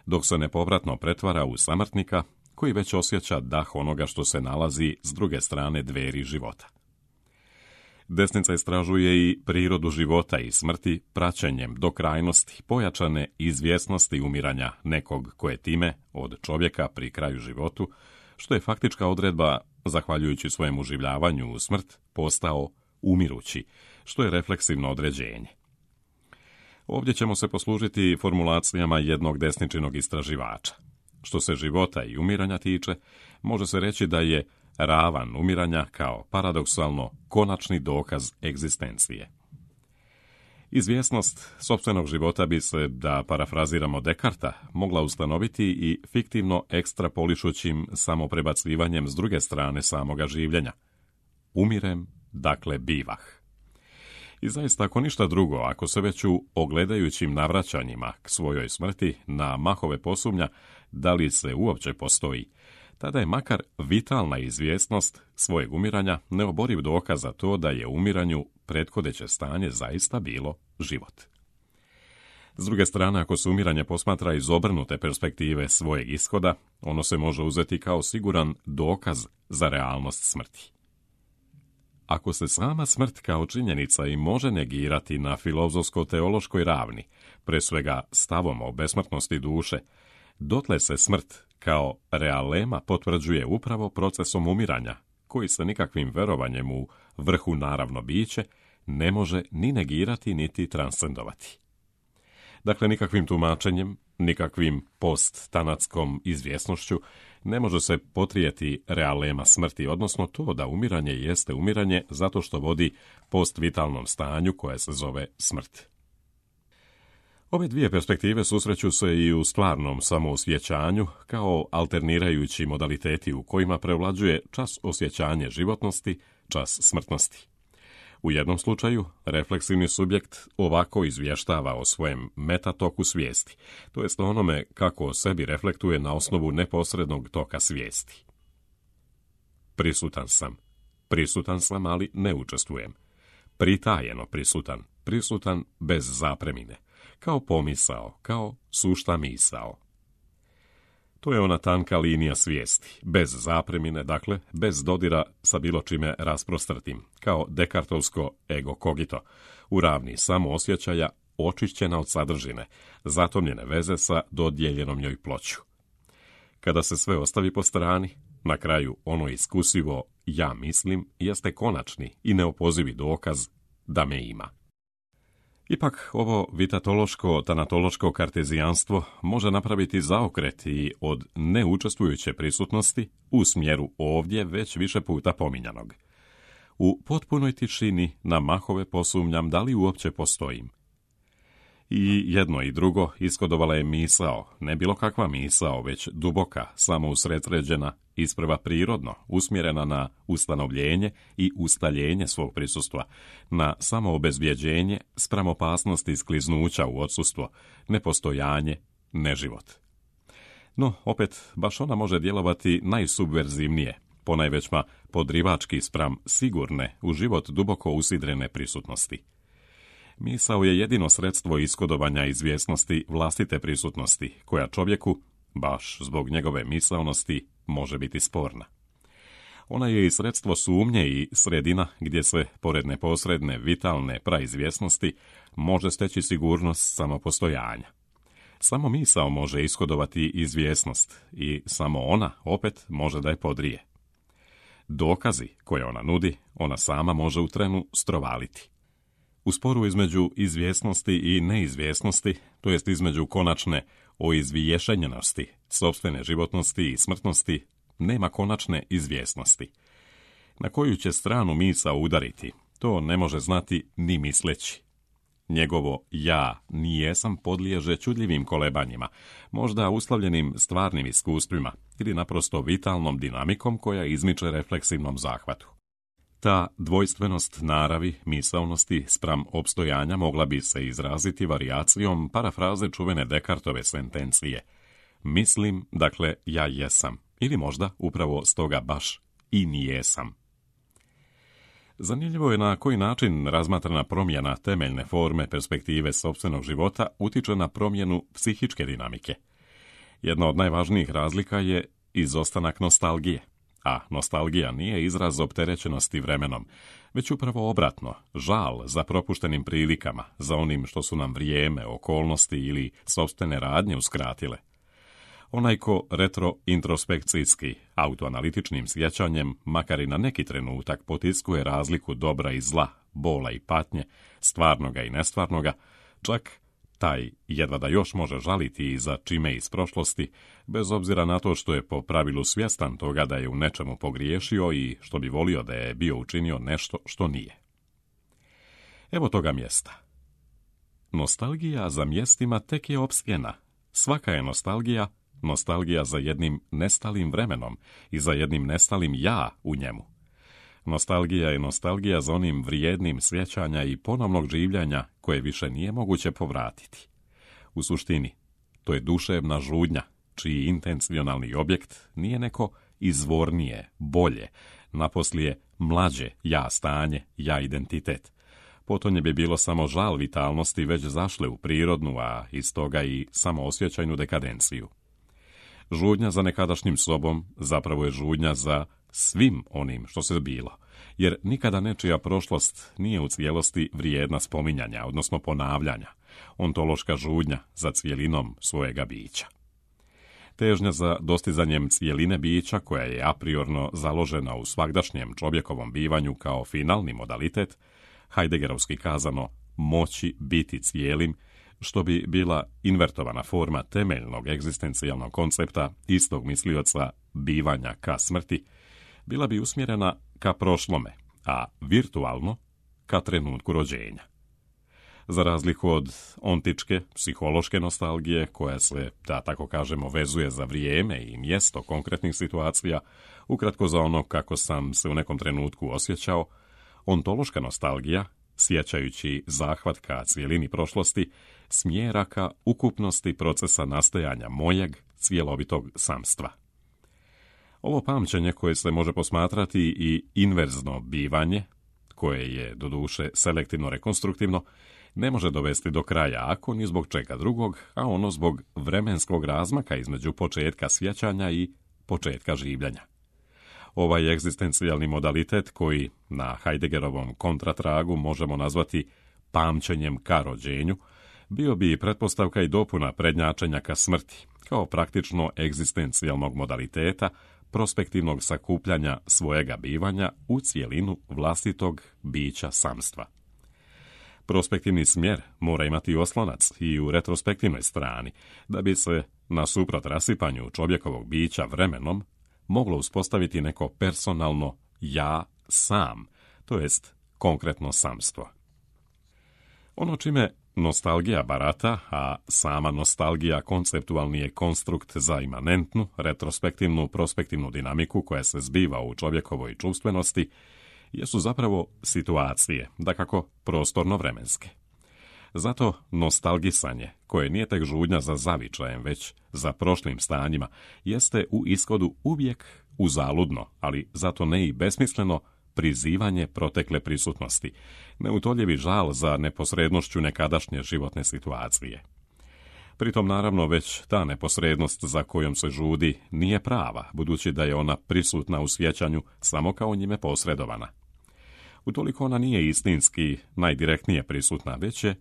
dok se nepovratno pretvara u samrtnika koji već osjeća dah onoga što se nalazi s druge strane dveri života. Desnica istražuje i prirodu života i smrti praćenjem do krajnosti pojačane izvjesnosti umiranja nekog koje time od čovjeka pri kraju životu, što je faktička odredba, zahvaljujući svojem uživljavanju u smrt, postao umirući, što je refleksivno određenje. Ovdje ćemo se poslužiti formulacijama jednog desničinog istraživača. Što se života i umiranja tiče, može se reći da je ravan umiranja kao paradoksalno konačni dokaz egzistencije. Izvjesnost sopstvenog života bi se, da parafraziramo Dekarta, mogla ustanoviti i fiktivno ekstrapolišućim samoprebacivanjem s druge strane samoga življenja. Umirem, dakle bivah. I zaista, ako ništa drugo, ako se već u ogledajućim navraćanjima k svojoj smrti na mahove posumnja da li se uopće postoji, tada je makar vitalna izvjesnost svojeg umiranja neoboriv dokaz za to da je umiranju prethodeće stanje zaista bilo život. S druge strane, ako se umiranje posmatra iz obrnute perspektive svojeg ishoda, ono se može uzeti kao siguran dokaz za realnost smrti. Ako se sama smrt kao činjenica i može negirati na filozofsko-teološkoj ravni, pre svega stavom o besmrtnosti duše, dotle se smrt kao realema potvrđuje upravo procesom umiranja, koji se nikakvim verovanjem u vrhu naravno biće ne može ni negirati niti transcendovati. Dakle, nikakvim tumačenjem, nikakvim post-tanatskom izvjesnošću ne može se potrijeti realema smrti, odnosno to da umiranje jeste umiranje zato što vodi post-vitalnom stanju koje se zove smrt. Ove dvije perspektive susreću se i u stvarnom samoosjećanju kao alternirajući modaliteti u kojima prevlađuje čas osjećanje životnosti, čas smrtnosti. U jednom slučaju, refleksivni subjekt ovako izvještava o svojem metatoku svijesti, to jest onome kako o sebi reflektuje na osnovu neposrednog toka svijesti. Prisutan sam, ali ne učestvujem. Pritajeno prisutan bez zapremine, kao pomisao, kao sušta misao. To je ona tanka linija svijesti, bez zapremine, dakle, bez dodira sa bilo čime rasprostrtim, kao dekartovsko ego cogito, u ravni samoosjećaja, očišćena od sadržine, zatomljene veze sa dodijeljenom njoj ploću. Kada se sve ostavi po strani, na kraju ono iskusivo ja mislim jeste konačni i neopozivi dokaz da me ima. Ipak, ovo vitatološko-tanatološko kartezijanstvo može napraviti zaokret i od neučestvujuće prisutnosti u smjeru ovdje već više puta pominjanog. U potpunoj tišini na mahove posumnjam da li uopće postojim. I jedno i drugo ishodovala je misao, ne bilo kakva misao, već duboka, samousredsređena, isprva prirodno, usmjerena na ustanovljenje i ustaljenje svog prisustva, na samoobezbjeđenje spram opasnosti skliznuća u odsustvo, nepostojanje, neživot. No, opet, baš ona može djelovati najsubverzivnije, ponajvećma podrivački spram sigurne, u život duboko usidrene prisutnosti. Misao je jedino sredstvo ishodovanja izvjesnosti vlastite prisutnosti, koja čovjeku, baš zbog njegove misaonosti, može biti sporna. Ona je i sredstvo sumnje i sredina gdje se, pored neposredne, vitalne praizvjesnosti, može steći sigurnost samopostojanja. Samo misao može ishodovati izvjesnost i samo ona, opet, može da je podrije. Dokazi koje ona nudi, ona sama može u trenu strovaliti. U sporu između izvjesnosti i neizvjesnosti, to jest između konačne oizvješenjenosti, sopstvene životnosti i smrtnosti, nema konačne izvjesnosti. Na koju će stranu misao udariti, to ne može znati ni misleći. Njegovo ja nijesam podliježe čudljivim kolebanjima, možda uslovljenim stvarnim iskustvima ili naprosto vitalnom dinamikom koja izmiče refleksivnom zahvatu. Ta dvojstvenost naravi, misaonosti spram opstojanja mogla bi se izraziti varijacijom parafraze čuvene Descartove sentencije. Mislim, dakle, ja jesam. Ili možda upravo stoga baš i nijesam. Zanimljivo je na koji način razmatrana promjena temeljne forme perspektive sopstvenog života utiče na promjenu psihičke dinamike. Jedna od najvažnijih razlika je izostanak nostalgije. A nostalgija nije izraz opterećenosti vremenom, već upravo obratno, žal za propuštenim prilikama, za onim što su nam vrijeme, okolnosti ili sopstvene radnje uskratile. Onaj ko retrointrospekcijski, autoanalitičnim sjećanjem, makar i na neki trenutak potiskuje razliku dobra i zla, bola i patnje, stvarnoga i nestvarnoga, čak taj jedva da još može žaliti i za čime iz prošlosti, bez obzira na to što je po pravilu svjestan toga da je u nečemu pogriješio i što bi volio da je bio učinio nešto što nije. Evo toga mjesta. Nostalgija za mjestima tek je opsjena. Svaka je nostalgija za jednim nestalim vremenom i za jednim nestalim ja u njemu. Nostalgija je nostalgija za onim vrijednim sjećanja i ponovnog življenja koje više nije moguće povratiti. U suštini, to je duševna žudnja, čiji intencionalni objekt nije neko izvornije, bolje, naposlije mlađe ja stanje, ja identitet. Potonje bi bilo samo žal vitalnosti već zašle u prirodnu, a iz toga i samoosjećajnu dekadenciju. Žudnja za nekadašnjim sobom zapravo je žudnja za svim onim što se bilo, jer nikada nečija prošlost nije u cijelosti vrijedna spominjanja, odnosno ponavljanja, ontološka žudnja za cijelinom svojega bića. Težnja za dostizanjem cijeline bića, koja je apriorno založena u svagdašnjem čovjekovom bivanju kao finalni modalitet, Heideggerovski kazano moći biti cijelim, što bi bila invertovana forma temeljnog egzistencijalnog koncepta istog mislioca bivanja ka smrti, bila bi usmjerena ka prošlome, a virtualno ka trenutku rođenja. Za razliku od ontičke, psihološke nostalgije, koja se, da tako kažemo, vezuje za vrijeme i mjesto konkretnih situacija, ukratko za ono kako sam se u nekom trenutku osjećao, ontološka nostalgija, sjećajući zahvat ka cijelini prošlosti, smjera ka ukupnosti procesa nastajanja mojeg cjelovitog samstva. Ovo pamćenje, koje se može posmatrati i inverzno bivanje, koje je doduše selektivno rekonstruktivno, ne može dovesti do kraja ako ni zbog čega drugog, a ono zbog vremenskog razmaka između početka sjećanja i početka življenja. Ovaj egzistencijalni modalitet, koji na Heideggerovom kontratragu možemo nazvati pamćenjem ka rođenju, bio bi pretpostavka i dopuna prednjačenja ka smrti, kao praktično egzistencijalnog modaliteta, prospektivnog sakupljanja svojega bivanja u cijelinu vlastitog bića samstva. Prospektivni smjer mora imati oslonac i u retrospektivnoj strani, da bi se, nasuprot rasipanju čovjekovog bića vremenom, moglo uspostaviti neko personalno ja sam, to jest konkretno samstvo. Ono čime nostalgija barata, a sama nostalgija konceptualni je konstrukt za imanentnu, retrospektivnu, prospektivnu dinamiku koja se zbiva u čovjekovoj čuvstvenosti, jesu zapravo situacije, dakako prostorno-vremenske. Zato nostalgisanje, koje nije tek žudnja za zavičajem, već za prošlim stanjima, jeste u ishodu uvijek uzaludno, ali zato ne i besmisleno, prizivanje protekle prisutnosti, neutoljivi žal za neposrednošću nekadašnje životne situacije. Pritom, naravno, već ta neposrednost za kojom se žudi nije prava, budući da je ona prisutna u sjećanju samo kao njime posredovana. Utoliko ona nije istinski najdirektnije prisutna, već je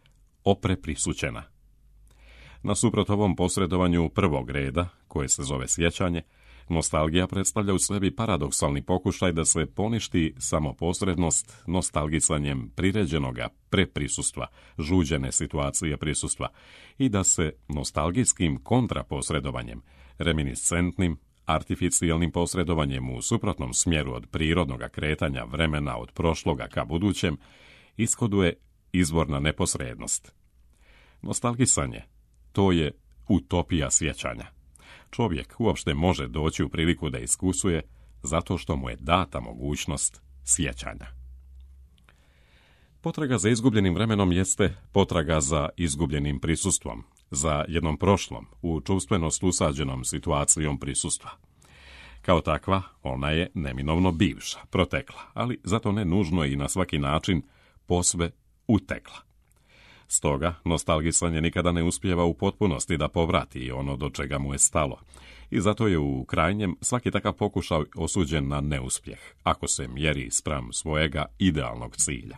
opreprisućena. Nasuprot ovom posredovanju prvog reda, koje se zove sjećanje, nostalgija predstavlja u sebi paradoksalni pokušaj da se poništi samoposrednost nostalgisanjem priređenoga preprisustva, žuđene situacije prisustva, i da se nostalgijskim kontraposredovanjem, reminiscentnim, artificijalnim posredovanjem u suprotnom smjeru od prirodnog kretanja vremena od prošloga ka budućem, ishoduje izvorna neposrednost. Nostalgisanje, to je utopija sjećanja. Čovjek uopšte može doći u priliku da iskusuje zato što mu je data mogućnost sjećanja. Potraga za izgubljenim vremenom jeste potraga za izgubljenim prisustvom, za jednom prošlom, u čuvstvenost usađenom situacijom prisustva. Kao takva, ona je neminovno bivša, protekla, ali zato ne nužno i na svaki način posve utekla. Stoga, nostalgisanje nikada ne uspijeva u potpunosti da povrati ono do čega mu je stalo, i zato je u krajnjem svaki takav pokušaj osuđen na neuspjeh, ako se mjeri spram svojega idealnog cilja.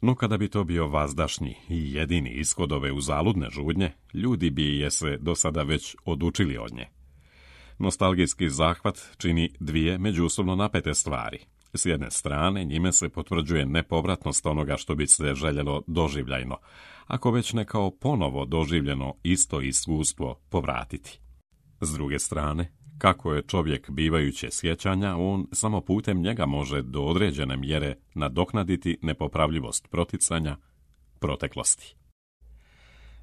No kada bi to bio vazdašnji i jedini ishod ove uzaludne žudnje, ljudi bi je se do sada već odučili od nje. Nostalgijski zahvat čini dvije međusobno napete stvari. S jedne strane, njime se potvrđuje nepovratnost onoga što bi se željelo doživljajno, ako već ne kao ponovo doživljeno isto iskustvo povratiti. S druge strane, kako je čovjek bivajuće sjećanja, on samo putem njega može do određene mjere nadoknaditi nepopravljivost proticanja proteklosti.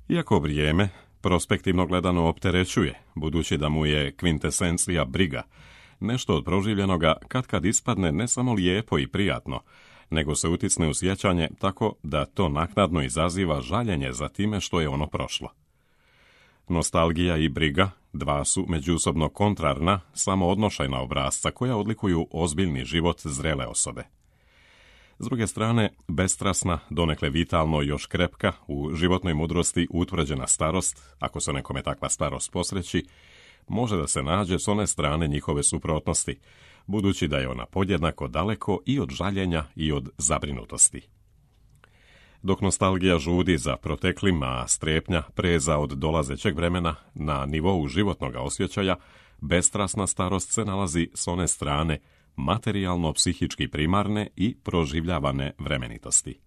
Iako vrijeme prospektivno gledano opterećuje, budući da mu je kvintesencija briga, nešto od proživljenoga katkad ispadne ne samo lijepo i prijatno, nego se utisne u sjećanje tako da to naknadno izaziva žaljenje za time što je ono prošlo. Nostalgija i briga dva su međusobno kontrarna, samo odnošajna obrazca koja odlikuju ozbiljni život zrele osobe. S druge strane, bestrasna, donekle vitalno i još krepka, u životnoj mudrosti utvrđena starost, ako se nekome takva starost posreći, može da se nađe s one strane njihove suprotnosti, budući da je ona podjednako daleko i od žaljenja i od zabrinutosti. Dok nostalgija žudi za proteklim, a strepnja preza od dolazećeg vremena na nivou životnog osjećaja, bestrasna starost se nalazi s one strane materijalno-psihički primarne i proživljavane vremenitosti.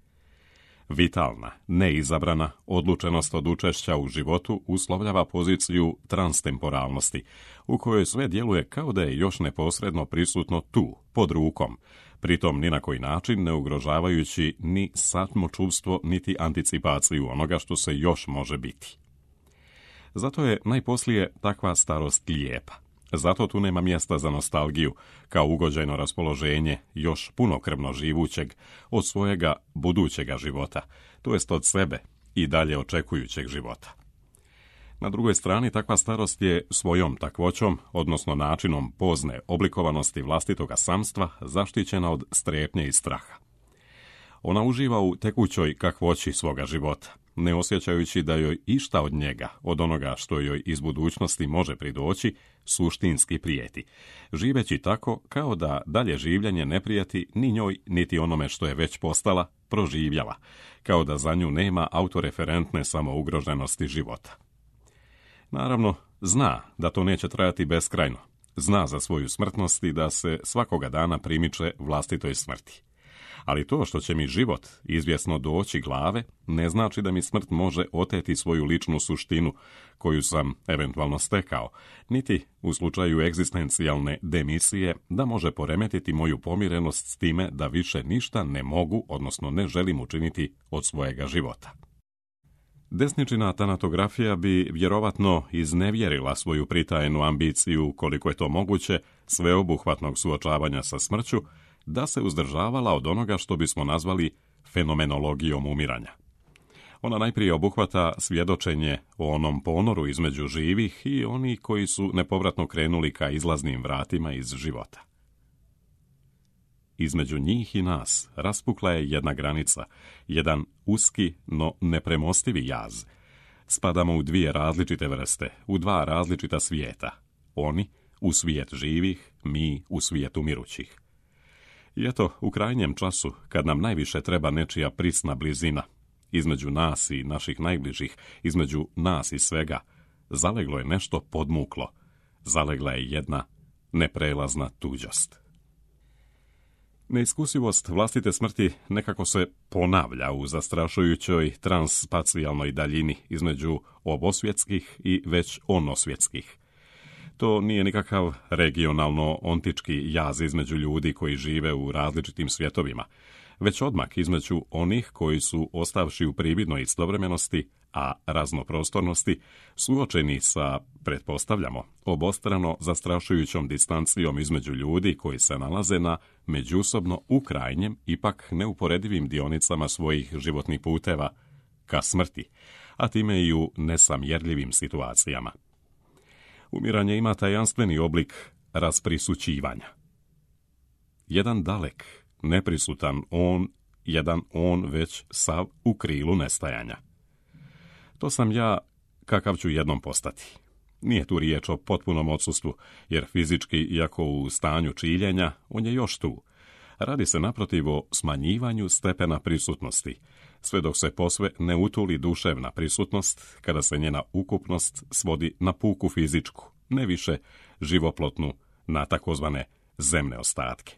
Vitalna, neizabrana odlučenost od učešća u životu uslovljava poziciju transtemporalnosti, u kojoj sve djeluje kao da je još neposredno prisutno tu, pod rukom, pritom ni na koji način ne ugrožavajući ni samočuvstvo niti anticipaciju onoga što se još može biti. Zato je najposlije takva starost lijepa. Zato tu nema mjesta za nostalgiju, kao ugođajno raspoloženje još punokrvno živućeg od svojega budućega života, to jest od sebe i dalje očekujućeg života. Na drugoj strani, takva starost je svojom takvoćom, odnosno načinom pozne oblikovanosti vlastitoga samstva, zaštićena od strepnje i straha. Ona uživa u tekućoj kakvoći svoga života, ne osjećajući da joj išta od njega, od onoga što joj iz budućnosti može pridoći, suštinski prijeti, živeći tako kao da dalje življenje ne prijeti ni njoj, niti onome što je već postala, proživjela, kao da za nju nema autoreferentne samougroženosti života. Naravno, zna da to neće trajati beskrajno, zna za svoju smrtnost i da se svakoga dana primiče vlastitoj smrti. Ali to što će mi život izvjesno doći glave, ne znači da mi smrt može oteti svoju ličnu suštinu, koju sam eventualno stekao, niti, u slučaju egzistencijalne demisije, da može poremetiti moju pomirenost s time da više ništa ne mogu, odnosno ne želim učiniti od svojega života. Desničina tanatografija bi vjerovatno iznevjerila svoju pritajenu ambiciju, koliko je to moguće, sveobuhvatnog suočavanja sa smrću, da se uzdržavala od onoga što bismo nazvali fenomenologijom umiranja. Ona najprije obuhvata svjedočenje o onom ponoru između živih i onih koji su nepovratno krenuli ka izlaznim vratima iz života. Između njih i nas raspukla je jedna granica, jedan uski, no nepremostivi jaz. Spadamo u dvije različite vrste, u dva različita svijeta. Oni u svijet živih, mi u svijet umirućih. I eto, u krajnjem času, kad nam najviše treba nečija prisna blizina, između nas i naših najbližih, između nas i svega, zaleglo je nešto podmuklo, zalegla je jedna neprelazna tuđost. Neiskusivost vlastite smrti nekako se ponavlja u zastrašujućoj transspacijalnoj daljini između obosvjetskih i već onosvjetskih. To nije nikakav regionalno-ontički jaz između ljudi koji žive u različitim svjetovima, već odmak između onih koji su, ostavši u prividnoj istovremenosti, a raznoprostornosti, suočeni sa, pretpostavljamo, obostrano zastrašujućom distancijom između ljudi koji se nalaze na međusobno u krajnjem, ipak neuporedivim dionicama svojih životnih puteva ka smrti, a time i u nesamjerljivim situacijama. Umiranje ima tajanstveni oblik rasprisućivanja. Jedan dalek, neprisutan on, jedan on već sav u krilu nestajanja. To sam ja, kakav ću jednom postati. Nije tu riječ o potpunom odsustvu, jer fizički, iako u stanju čiljenja, on je još tu. Radi se naprotiv o smanjivanju stepena prisutnosti, sve dok se posve ne utuli duševna prisutnost, kada se njena ukupnost svodi na puku fizičku, ne više živoplotnu, na takozvane zemne ostatke.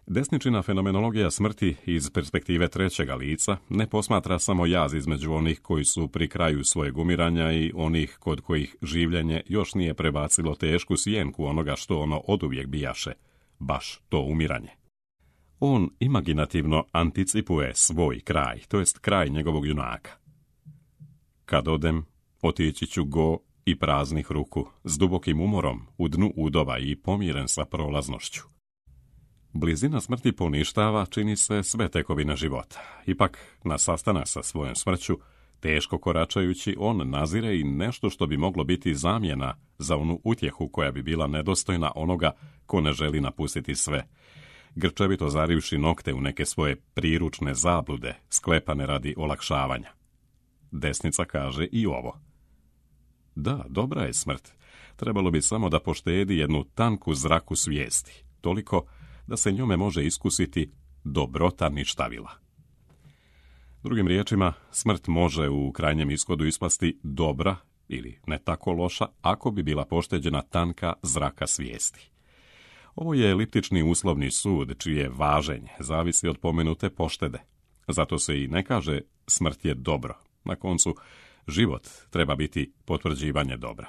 Desničina fenomenologija smrti iz perspektive trećega lica ne posmatra samo jaz između onih koji su pri kraju svojeg umiranja i onih kod kojih življenje još nije prebacilo tešku sjenku onoga što ono oduvijek bijaše, baš to umiranje. On imaginativno anticipuje svoj kraj, to jest kraj njegovog junaka. Kad odem, otići ću go i praznih ruku, s dubokim umorom, u dnu udova i pomiren sa prolaznošću. Blizina smrti poništava, čini se, sve tekovine života. Ipak, na sastanak sa svojom smrću, teško koračajući, on nazire i nešto što bi moglo biti zamjena za onu utjehu koja bi bila nedostojna onoga ko ne želi napustiti sve, grčevito zarivši nokte u neke svoje priručne zablude, sklepane radi olakšavanja. Desnica kaže i ovo. Da, dobra je smrt. Trebalo bi samo da poštedi jednu tanku zraku svijesti, toliko da se njome može iskusiti dobrota ništavila. Drugim riječima, smrt može u krajnjem ishodu ispasti dobra ili ne tako loša ako bi bila pošteđena tanka zraka svijesti. Ovo je eliptični uslovni sud čije važenje zavisi od pomenute poštede. Zato se i ne kaže smrt je dobro. Na koncu, život treba biti potvrđivanje dobra.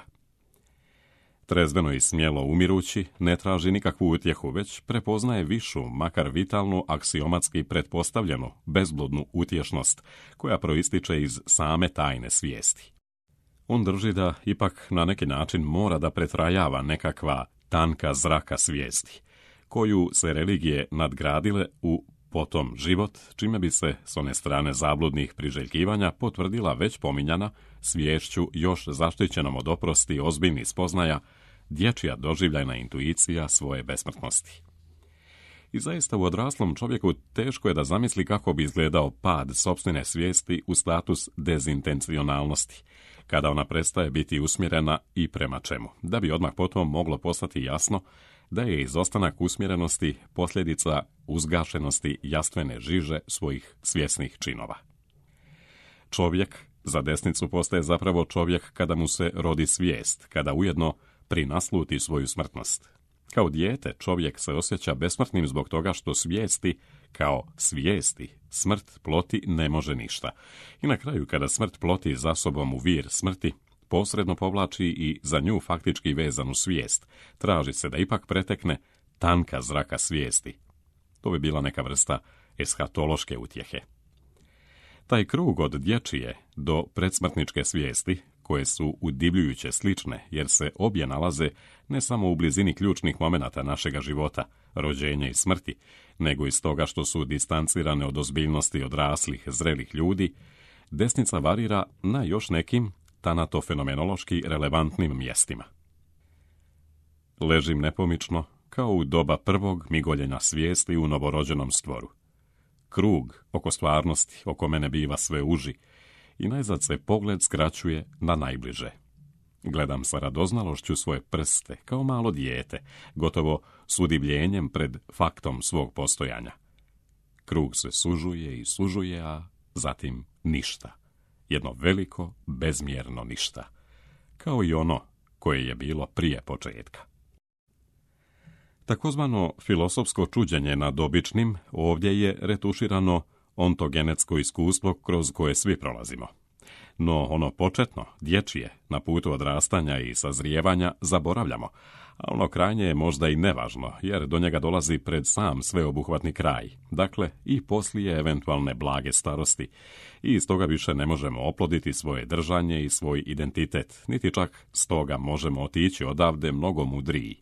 Trezveno i smjelo umirući ne traži nikakvu utjehu, već prepoznaje višu, makar vitalnu, aksiomatski pretpostavljenu, bezbludnu utješnost, koja proističe iz same tajne svijesti. On drži da ipak na neki način mora da pretrajava nekakva tanka zraka svijesti, koju se religije nadgradile u potom život, čime bi se s one strane zabludnih priželjkivanja potvrdila već pominjana sviješću još zaštićenom od oprosti ozbiljnih spoznaja, dječja doživljajna intuicija svoje besmrtnosti. I zaista u odraslom čovjeku teško je da zamisli kako bi izgledao pad sopstvene svijesti u status dezintencionalnosti, kada ona prestaje biti usmjerena i prema čemu, da bi odmah potom moglo postati jasno da je izostanak usmjerenosti posljedica uzgašenosti jastvene žiže svojih svjesnih činova. Čovjek za desnicu postaje zapravo čovjek kada mu se rodi svijest, kada ujedno prinasluti svoju smrtnost. Kao dijete čovjek se osjeća besmrtnim zbog toga što svijesti, kao svijesti, smrt ploti ne može ništa. I na kraju kada smrt ploti za sobom u vir smrti, posredno povlači i za nju faktički vezanu svijest, traži se da ipak pretekne tanka zraka svijesti. To bi bila neka vrsta eshatološke utjehe. Taj krug od dječje do predsmrtničke svijesti, koje su udivljujuće slične, jer se obje nalaze ne samo u blizini ključnih momenata našega života, rođenja i smrti, nego i stoga što su distancirane od ozbiljnosti odraslih, zrelih ljudi, desnica varira na još nekim tanatofenomenološki relevantnim mjestima. Ležim nepomično, kao u doba prvog migoljenja svijesti u novorođenom stvoru. Krug oko stvarnosti oko mene biva sve uži i najzad se pogled skraćuje na najbliže. Gledam sa radoznalošću svoje prste, kao malo dijete, gotovo s udivljenjem pred faktom svog postojanja. Krug se sužuje i sužuje, a zatim ništa. Jedno veliko, bezmjerno ništa. Kao i ono koje je bilo prije početka. Takozvano filosofsko čuđenje nad običnim ovdje je retuširano ontogenetsko iskustvo kroz koje svi prolazimo. No ono početno, dječje, na putu odrastanja i sazrijevanja zaboravljamo, A ono krajnje je možda i nevažno, jer do njega dolazi pred sam sveobuhvatni kraj, dakle i poslije eventualne blage starosti, i iz toga više ne možemo oploditi svoje držanje i svoj identitet, niti čak stoga možemo otići odavde mnogo mudriji.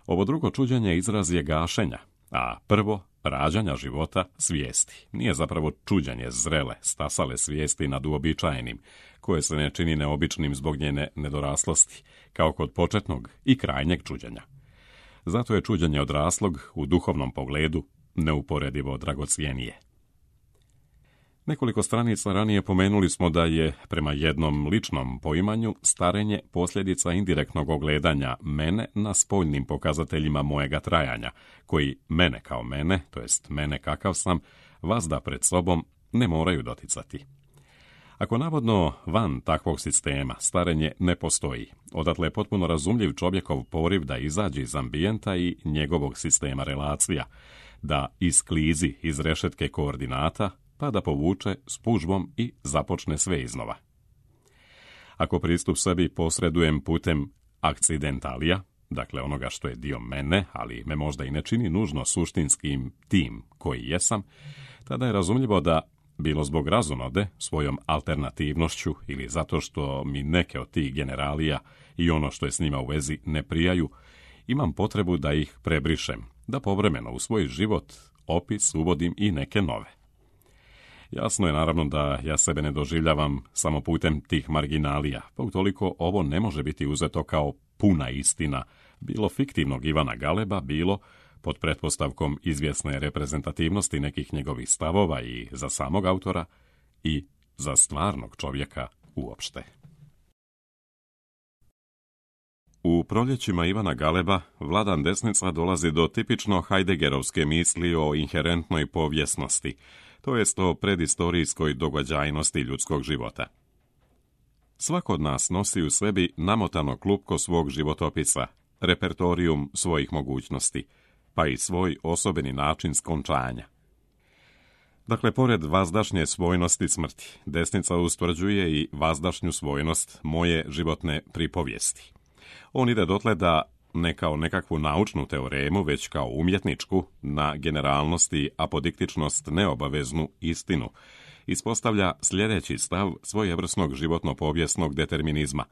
Ovo drugo čuđenje izraz je gašenja, a prvo rađanja života svijesti. Nije zapravo čuđenje zrele, stasale svijesti nad uobičajenim, koje se ne čini neobičnim zbog njene nedoraslosti, kao kod početnog i krajnjeg čuđenja. Zato je čuđenje odraslog u duhovnom pogledu neuporedivo dragocjenije. Nekoliko stranica ranije pomenuli smo da je, prema jednom ličnom poimanju, starenje posljedica indirektnog ogledanja mene na spoljnim pokazateljima mojega trajanja, koji mene kao mene, to jest mene kakav sam, vazda pred sobom ne moraju doticati. Ako navodno van takvog sistema starenje ne postoji, odatle je potpuno razumljiv čovjekov poriv da izađe iz ambijenta i njegovog sistema relacija, da isklizi iz rešetke koordinata, pa da povuče s pužbom i započne sve iznova. Ako pristup sebi posredujem putem akcidentalija, dakle onoga što je dio mene, ali me možda i ne čini nužno suštinskim tim koji jesam, tada je razumljivo da, bilo zbog razonode, svojom alternativnošću ili zato što mi neke od tih generalija i ono što je s njima u vezi ne prijaju, imam potrebu da ih prebrišem, da povremeno u svoj život opis uvodim i neke nove. Jasno je naravno da ja sebe ne doživljavam samo putem tih marginalija, pa utoliko ovo ne može biti uzeto kao puna istina, bilo fiktivnog Ivana Galeba, bilo pod pretpostavkom izvjesne reprezentativnosti nekih njegovih stavova i za samog autora i za stvarnog čovjeka uopšte. U proljećima Ivana Galeba Vladan Desnica dolazi do tipično Heideggerovske misli o inherentnoj povijesnosti, to jest o predistorijskoj događajnosti ljudskog života. Svako od nas nosi u sebi namotano klupko svog životopisa, repertorijum svojih mogućnosti, pa i svoj osobeni način skončanja. Dakle, pored vazdašnje svojnosti smrti, Desnica ustvrđuje i vazdašnju svojnost moje životne pripovijesti. On ide dotle da, ne kao nekakvu naučnu teoremu, već kao umjetničku, na generalnost i apodiktičnost neobaveznu istinu, ispostavlja sljedeći stav svojevrsnog životno-povijesnog determinizma,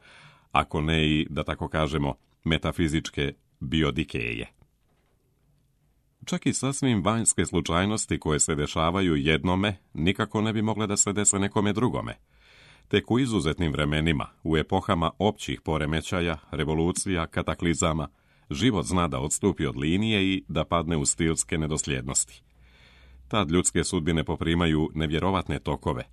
ako ne i, da tako kažemo, metafizičke biodikeje. Čak i sasvim vanjske slučajnosti koje se dešavaju jednome, nikako ne bi mogle da se dese nekome drugome. Tek u izuzetnim vremenima, u epohama općih poremećaja, revolucija, kataklizama, život zna da odstupi od linije i da padne u stilske nedosljednosti. Tad ljudske sudbine poprimaju nevjerovatne tokove,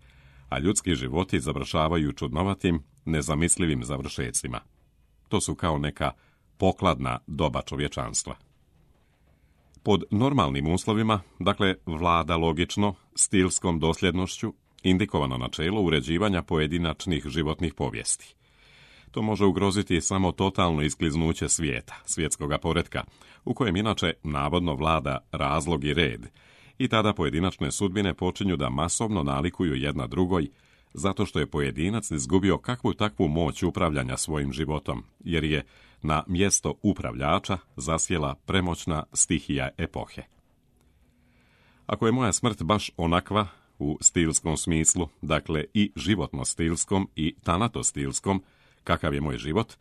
a ljudski životi završavaju čudnovatim, nezamislivim završecima. To su kao neka pokladna doba čovječanstva. Pod normalnim uslovima, dakle, vlada logično, stilskom dosljednošću, indikovano načelo uređivanja pojedinačnih životnih povijesti. To može ugroziti samo totalno iskliznuće svijeta, svjetskoga poretka, u kojem inače navodno vlada razlog i red, i tada pojedinačne sudbine počinju da masovno nalikuju jedna drugoj, zato što je pojedinac izgubio kakvu takvu moć upravljanja svojim životom, jer je na mjesto upravljača zasjela premoćna stihija epohe. Ako je moja smrt baš onakva, u stilskom smislu, dakle i životno-stilskom i tanato-stilskom, kakav je moj život,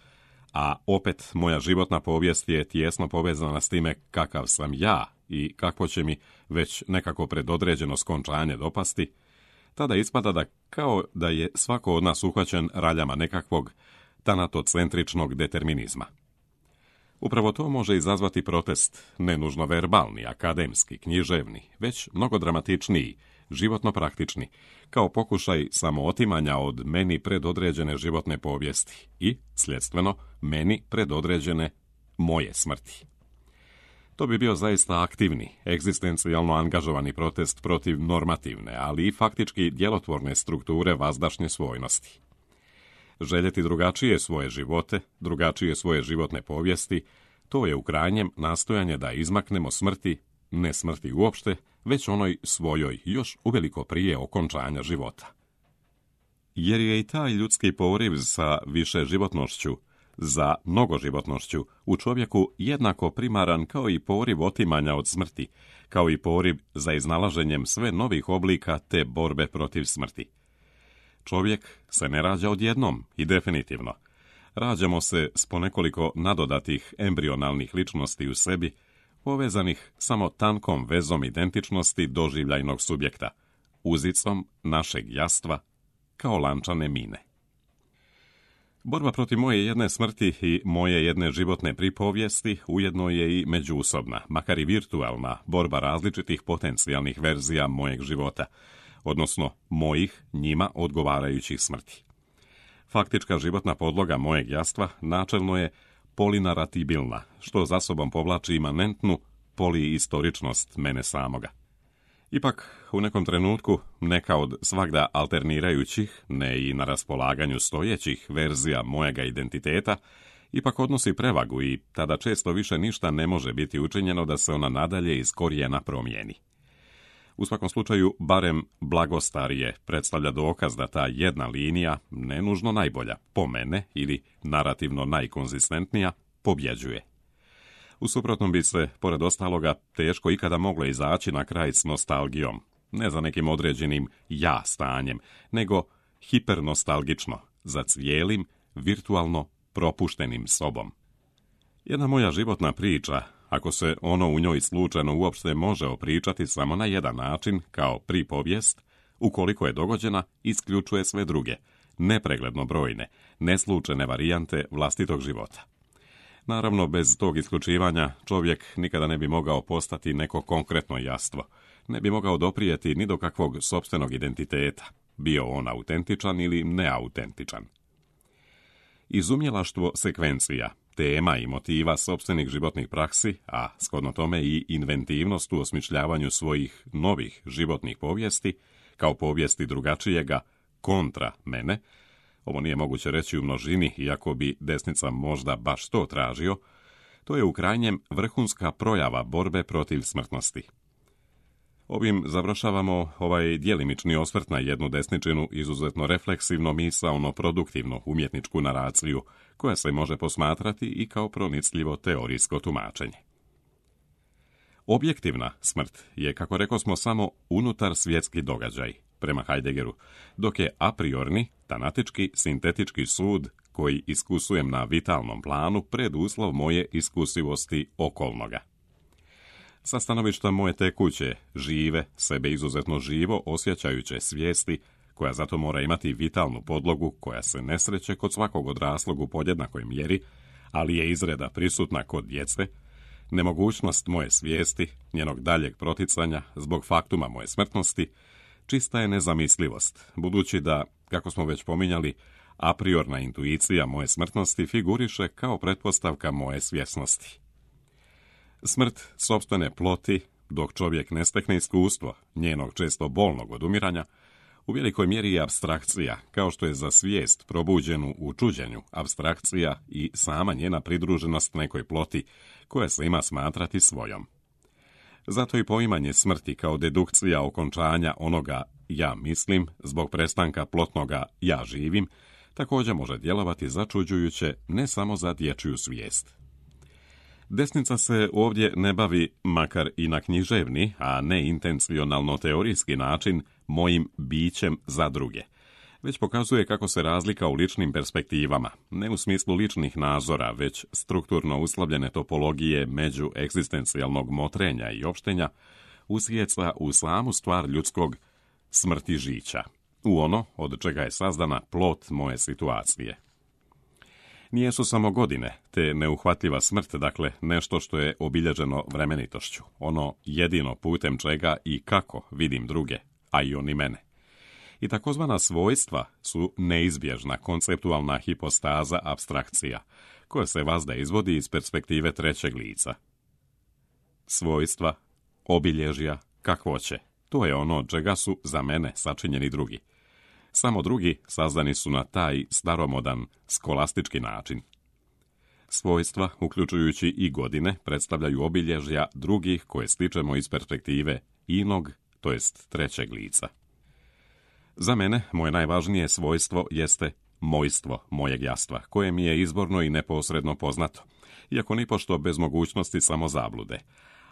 a opet moja životna povijest je tijesno povezana s time kakav sam ja i kakvo će mi već nekako predodređeno skončanje dopasti, tada ispada da kao da je svako od nas uhvaćen raljama nekakvog tanatocentričnog determinizma. Upravo to može izazvati protest, ne nužno verbalni, akademski, književni, već mnogo dramatičniji, životno praktični, kao pokušaj samootimanja od meni predodređene životne povijesti i, sljedstveno, meni predodređene moje smrti. To bi bio zaista aktivni, egzistencijalno angažovani protest protiv normativne, ali i faktički djelotvorne strukture vazdašnje svojnosti. Željeti drugačije svoje živote, drugačije svoje životne povijesti, to je u krajnjem nastojanje da izmaknemo smrti, ne smrti uopšte, već onoj svojoj, još uveliko prije okončanja života. Jer je i taj ljudski poriv sa više životnošću za mnogoživotnošću u čovjeku jednako primaran kao i poriv otimanja od smrti, kao i poriv za iznalaženjem sve novih oblika te borbe protiv smrti. Čovjek se ne rađa odjednom i definitivno. Rađamo se s ponekoliko nadodatih embrionalnih ličnosti u sebi, povezanih samo tankom vezom identičnosti doživljajnog subjekta, uzicom našeg jastva, kao lančane mine. Borba protiv moje jedne smrti i moje jedne životne pripovijesti ujedno je i međusobna, makar i virtualna, borba različitih potencijalnih verzija mojeg života, odnosno mojih njima odgovarajućih smrti. Faktička životna podloga mojeg jastva načelno je polinaratibilna, što za sobom povlači imanentnu poliistoričnost mene samoga. Ipak, u nekom trenutku, neka od svagda alternirajućih, ne i na raspolaganju stojećih verzija mojega identiteta, ipak odnosi prevagu i tada često više ništa ne može biti učinjeno da se ona nadalje iz korijena promijeni. U svakom slučaju, barem blagostarije predstavlja dokaz da ta jedna linija, nenužno najbolja, po mene ili narativno najkonzistentnija, pobjeđuje. U suprotnom bi se, pored ostaloga, teško ikada moglo izaći na kraj s nostalgijom, ne za nekim određenim ja stanjem, nego hipernostalgično, za cijelim, virtualno propuštenim sobom. Jedna moja životna priča, ako se ono u njoj slučajno uopšte može opričati samo na jedan način, kao pripovijest, ukoliko je dogođena, isključuje sve druge, nepregledno brojne, neslučajne varijante vlastitog života. Naravno, bez tog isključivanja čovjek nikada ne bi mogao postati neko konkretno jastvo, ne bi mogao doprijeti ni do kakvog sopstvenog identiteta, bio on autentičan ili neautentičan. Izumjelaštvo sekvencija, tema i motiva sopstvenih životnih praksi, a shodno tome i inventivnost u osmišljavanju svojih novih životnih povijesti, kao povijesti drugačijega kontra mene, ovo nije moguće reći u množini, iako bi desnica možda baš to tražio, to je u krajnjem vrhunska projava borbe protiv smrtnosti. Ovim završavamo ovaj djelimični osvrt na jednu desničinu izuzetno refleksivno, misaono, produktivnu umjetničku naraciju, koja se može posmatrati i kao pronicljivo teorijsko tumačenje. Objektivna smrt je, kako rekosmo, samo unutar svjetski događaj, prema Heideggeru, dok je a priorni, tanatički, sintetički sud, koji iskusujem na vitalnom planu, preduslov moje iskusivosti okolnoga. Sa stanovišta moje tekuće, žive, sebe izuzetno živo osjećajuće svijesti, koja zato mora imati vitalnu podlogu koja se ne sreće kod svakog odraslog u podjednakoj mjeri, ali je izreda prisutna kod djece, nemogućnost moje svijesti, njenog daljeg proticanja zbog faktuma moje smrtnosti, čista je nezamislivost, budući da, kako smo već pominjali, a priorna intuicija moje smrtnosti figuriše kao pretpostavka moje svjesnosti. Smrt sopstvene ploti, dok čovjek ne stekne iskustvo njenog često bolnog odumiranja, u velikoj mjeri je apstrakcija, kao što je za svijest probuđenu u čuđenju apstrakcija i sama njena pridruženost nekoj ploti, koja se ima smatrati svojom. Zato i poimanje smrti kao dedukcija okončanja onoga ja mislim, zbog prestanka plotnoga ja živim, također može djelovati začuđujuće ne samo za dječju svijest. Desnica se ovdje ne bavi, makar i na književni, a ne intencionalno teorijski način, mojim bićem za druge, već pokazuje kako se razlika u ličnim perspektivama, ne u smislu ličnih nazora, već strukturno uslovljene topologije među egzistencijalnog motrenja i opštenja, usjeca u samu stvar ljudskog smrti žića, u ono od čega je sazdana plot moje situacije. Nijesu samo godine, te neuhvatljiva smrt, dakle nešto što je obilježeno vremenitošću, ono jedino putem čega i kako vidim druge, a i oni mene. I takozvana svojstva su neizbježna konceptualna hipostaza apstrakcija, koja se vazda izvodi iz perspektive trećeg lica. Svojstva, obilježja, kakvoće, to je ono od čega su za mene sačinjeni drugi. Samo drugi sazdani su na taj staromodan, skolastički način. Svojstva, uključujući i godine, predstavljaju obilježja drugih koje stičemo iz perspektive inog, to jest trećeg lica. Za mene, moje najvažnije svojstvo jeste mojstvo mojeg jastva, koje mi je izborno i neposredno poznato, iako nipošto bez mogućnosti samozablude,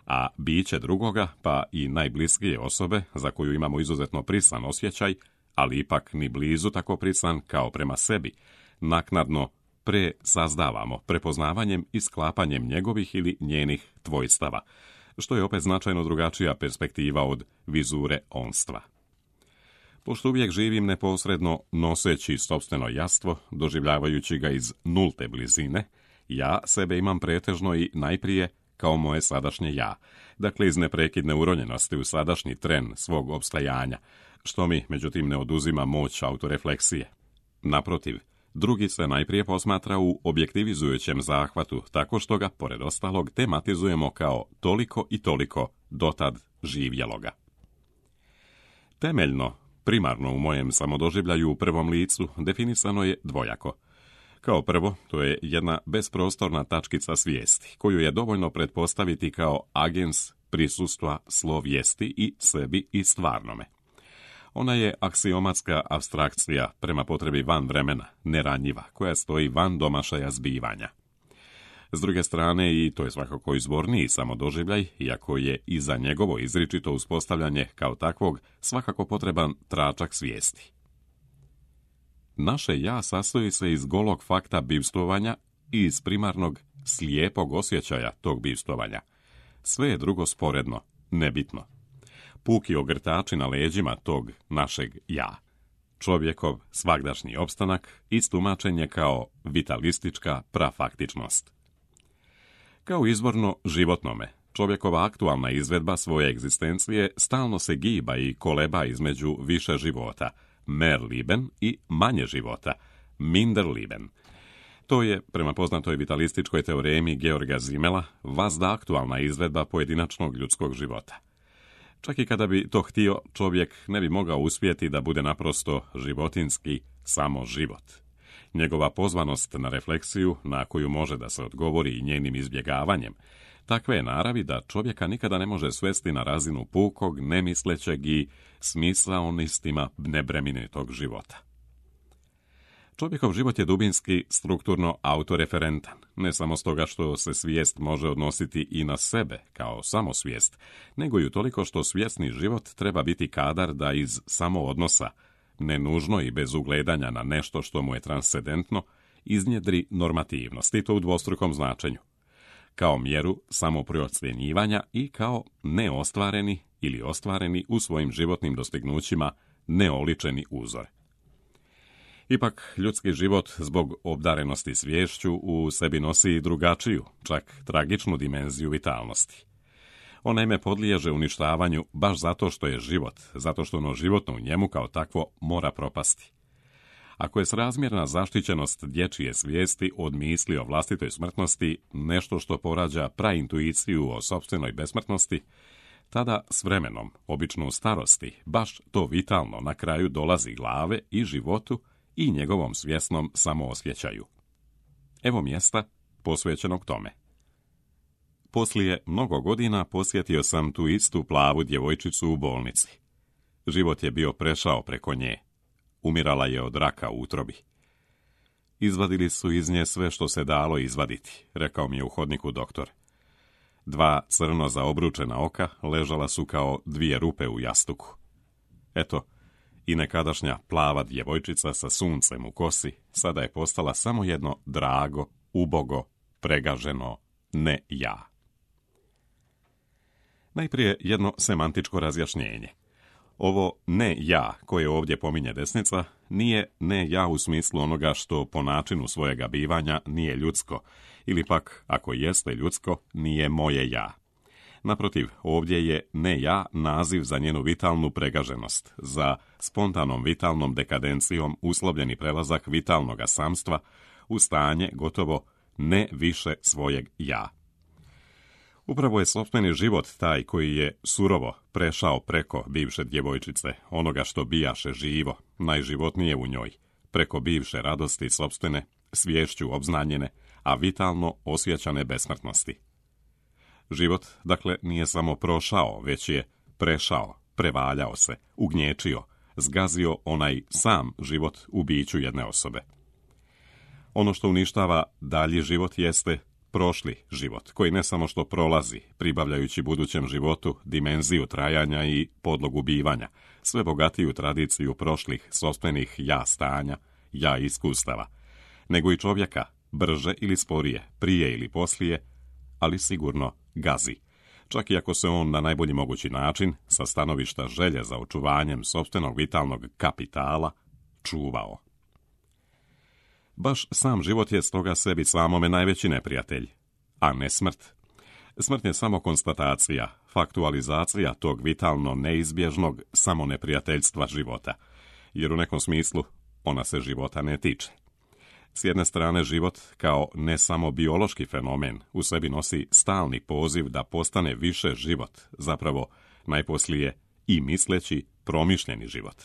a biće drugoga, pa i najbliskije osobe, za koju imamo izuzetno prisan osjećaj, ali ipak ni blizu tako prisan kao prema sebi, naknadno presazdavamo prepoznavanjem i sklapanjem njegovih ili njenih tvojstava, što je opet značajno drugačija perspektiva od vizure onstva. Pošto uvijek živim neposredno noseći sopstveno jastvo, doživljavajući ga iz nulte blizine, ja sebe imam pretežno i najprije kao moje sadašnje ja, dakle iz neprekidne uronjenosti u sadašnji tren svog opstajanja, što mi, međutim, ne oduzima moć autorefleksije. Naprotiv, drugi se najprije posmatra u objektivizujućem zahvatu, tako što ga, pored ostalog, tematizujemo kao toliko i toliko dotad živjeloga. Temeljno, primarno u mojem samodoživljaju u prvom licu definisano je dvojako. Kao prvo, to je jedna besprostorna tačkica svijesti, koju je dovoljno pretpostaviti kao agens prisustva slovijesti i sebi i stvarnome. Ona je aksiomatska apstrakcija prema potrebi van vremena, neranjiva, koja stoji van domašaja zbivanja. S druge strane, i to je svakako izvorniji samodoživljaj, iako je i za njegovo izričito uspostavljanje kao takvog svakako potreban tračak svijesti. Naše ja sastoji se iz golog fakta bivstvovanja i iz primarnog slijepog osjećaja tog bivstvovanja. Sve je drugo sporedno, nebitno. Puki ogrtači na leđima tog našeg ja. Čovjekov svagdašnji opstanak istumačen je kao vitalistička prafaktičnost. Kao izvorno životnome, čovjekova aktualna izvedba svoje egzistencije stalno se giba i koleba između više života, mehr Leben, i manje života, minder Leben. To je, prema poznatoj vitalističkoj teoremi Georga Simmela, vazda aktualna izvedba pojedinačnog ljudskog života. Čak i kada bi to htio, čovjek ne bi mogao uspjeti da bude naprosto životinski samo život. Njegova pozvanost na refleksiju, na koju može da se odgovori i njenim izbjegavanjem, takve je naravi da čovjeka nikada ne može svesti na razinu pukog, nemislećeg i smisaonistima nebremenitog života. Čovjekov život je dubinski, strukturno autoreferentan, ne samo stoga što se svijest može odnositi i na sebe kao samosvijest, nego i utoliko što svjesni život treba biti kadar da iz samoodnosa, ne nužno i bez ugledanja na nešto što mu je transcendentno, iznjedri normativnost, i to u dvostrukom značenju, kao mjeru samoprocjenjivanja i kao neostvareni ili ostvareni u svojim životnim dostignućima neoličeni uzor. Ipak, ljudski život zbog obdarenosti sviješću u sebi nosi i drugačiju, čak tragičnu dimenziju vitalnosti. On naime podliježe uništavanju baš zato što je život, zato što ono životno u njemu kao takvo mora propasti. Ako je srazmjerna zaštićenost dječje svijesti od misli o vlastitoj smrtnosti nešto što porađa praintuiciju o sopstvenoj besmrtnosti, tada s vremenom, obično u starosti, baš to vitalno na kraju dolazi glave i životu i njegovom svjesnom samoosjećaju. Evo mjesta posvećenog tome. Poslije mnogo godina posjetio sam tu istu plavu djevojčicu u bolnici. Život je bio prešao preko nje. Umirala je od raka u utrobi. Izvadili su iz nje sve što se dalo izvaditi, rekao mi je u hodniku doktor. 2 crno zaobručena oka ležala su kao 2 rupe u jastuku. Eto, i nekadašnja plava djevojčica sa suncem u kosi sada je postala samo jedno drago, ubogo, pregaženo ne ja. Najprije jedno semantičko razjašnjenje. Ovo ne ja koje ovdje pominje desnica nije ne ja u smislu onoga što po načinu svojega bivanja nije ljudsko, ili pak, ako jeste ljudsko, nije moje ja. Naprotiv, ovdje je ne ja naziv za njenu vitalnu pregaženost, za spontanom vitalnom dekadencijom uslovljeni prelazak vitalnoga samstva u stanje gotovo ne više svojeg ja. Upravo je sopstveni život taj koji je surovo prešao preko bivše djevojčice, onoga što bijaše živo, najživotnije u njoj, preko bivše radosti sopstvene, sviješću obznanjene, a vitalno osjećane besmrtnosti. Život, dakle, nije samo prošao, već je prešao, prevaljao se, ugnječio, zgazio onaj sam život u biću jedne osobe. Ono što uništava dalji život jeste prošli život, koji ne samo što prolazi, pribavljajući budućem životu dimenziju trajanja i podlogu bivanja, sve bogatiju tradiciju prošlih sopstvenih ja stanja, ja iskustava, nego i čovjeka, brže ili sporije, prije ili poslije, ali sigurno gazi, čak i ako se on na najbolji mogući način, sa stanovišta želje za očuvanjem sopstvenog vitalnog kapitala, čuvao. Baš sam život je stoga sebi samome najveći neprijatelj, a ne smrt. Smrt je samo konstatacija, faktualizacija tog vitalno neizbježnog samoneprijateljstva života, jer u nekom smislu ona se života ne tiče. S jedne strane, život kao ne samo biološki fenomen u sebi nosi stalni poziv da postane više život, zapravo najposlije i misleći promišljeni život.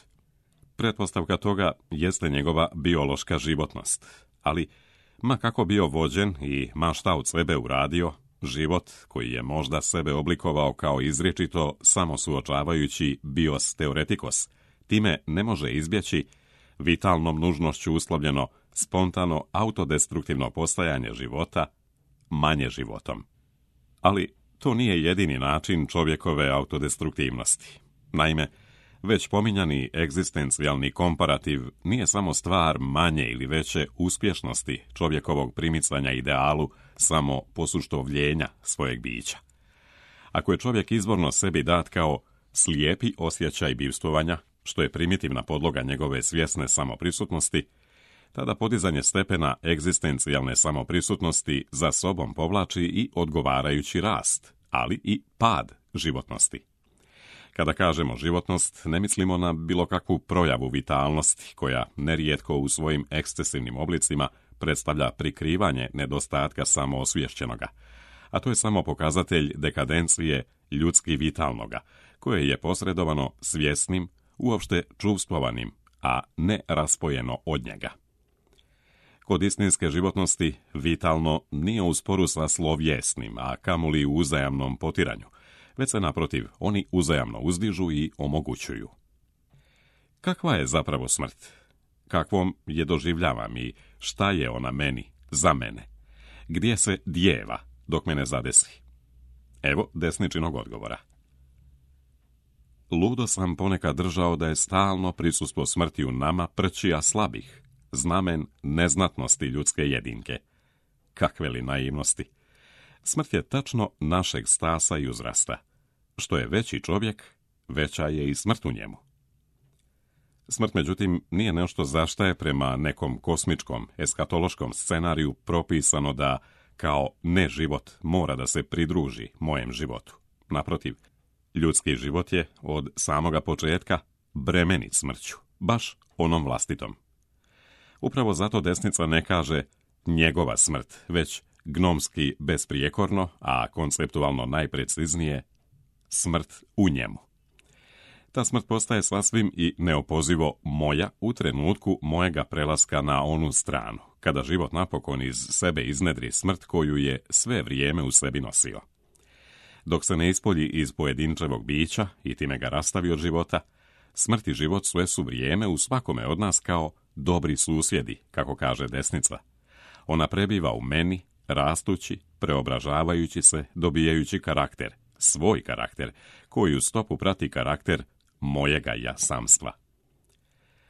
Pretpostavka toga jeste njegova biološka životnost, ali ma kako bio vođen i ma šta od sebe uradio, život koji je možda sebe oblikovao kao izričito samosuočavajući bios teoretikos, time ne može izbjeći vitalnom nužnošću uslovljeno spontano autodestruktivno postajanje života manje životom. Ali to nije jedini način čovjekove autodestruktivnosti. Naime, već pominjani egzistencijalni komparativ nije samo stvar manje ili veće uspješnosti čovjekovog primicanja idealu samo posuštovljenja svojeg bića. Ako je čovjek izvorno sebi dat kao slijepi osjećaj bivstvovanja, što je primitivna podloga njegove svjesne samoprisutnosti, tada podizanje stepena egzistencijalne samoprisutnosti za sobom povlači i odgovarajući rast, ali i pad životnosti. Kada kažemo životnost, ne mislimo na bilo kakvu projavu vitalnosti, koja nerijetko u svojim ekscesivnim oblicima predstavlja prikrivanje nedostatka samoosvješćenoga, a to je samo pokazatelj dekadencije ljudski vitalnoga, koje je posredovano svjesnim, uopšte čuvstvovanim, a ne raspojeno od njega. Kod istinske životnosti vitalno nije u sporu sa slovjesnim, a kamoli u uzajamnom potiranju, već se naprotiv oni uzajamno uzdižu i omogućuju. Kakva je zapravo smrt? Kakvom je doživljavam i šta je ona meni, za mene? Gdje se djeva dok me ne zadesi? Evo desničinog odgovora. Ludo sam ponekad držao da je stalno prisustvo smrti u nama prćija slabih, znamen neznatnosti ljudske jedinke. Kakve li naivnosti! Smrt je tačno našeg stasa i uzrasta. Što je veći čovjek, veća je i smrt u njemu. Smrt, međutim, nije nešto zašta je prema nekom kosmičkom, eskatološkom scenariju propisano da, kao neživot, mora da se pridruži mojem životu. Naprotiv, ljudski život je od samoga početka bremenit smrću, baš onom vlastitom. Upravo zato desnica ne kaže njegova smrt, već gnomski besprijekorno, a konceptualno najpreciznije, smrt u njemu. Ta smrt postaje sasvim i neopozivo moja u trenutku mojega prelaska na onu stranu, kada život napokon iz sebe iznedri smrt koju je sve vrijeme u sebi nosio. Dok se ne ispolji iz pojedinčevog bića i time ga rastavi od života, smrt i život sve su vrijeme u svakome od nas kao dobri susjedi, kako kaže desnica. Ona prebiva u meni, rastući, preobražavajući se, dobijajući karakter, svoj karakter, koji u stopu prati karakter mojega jasamstva.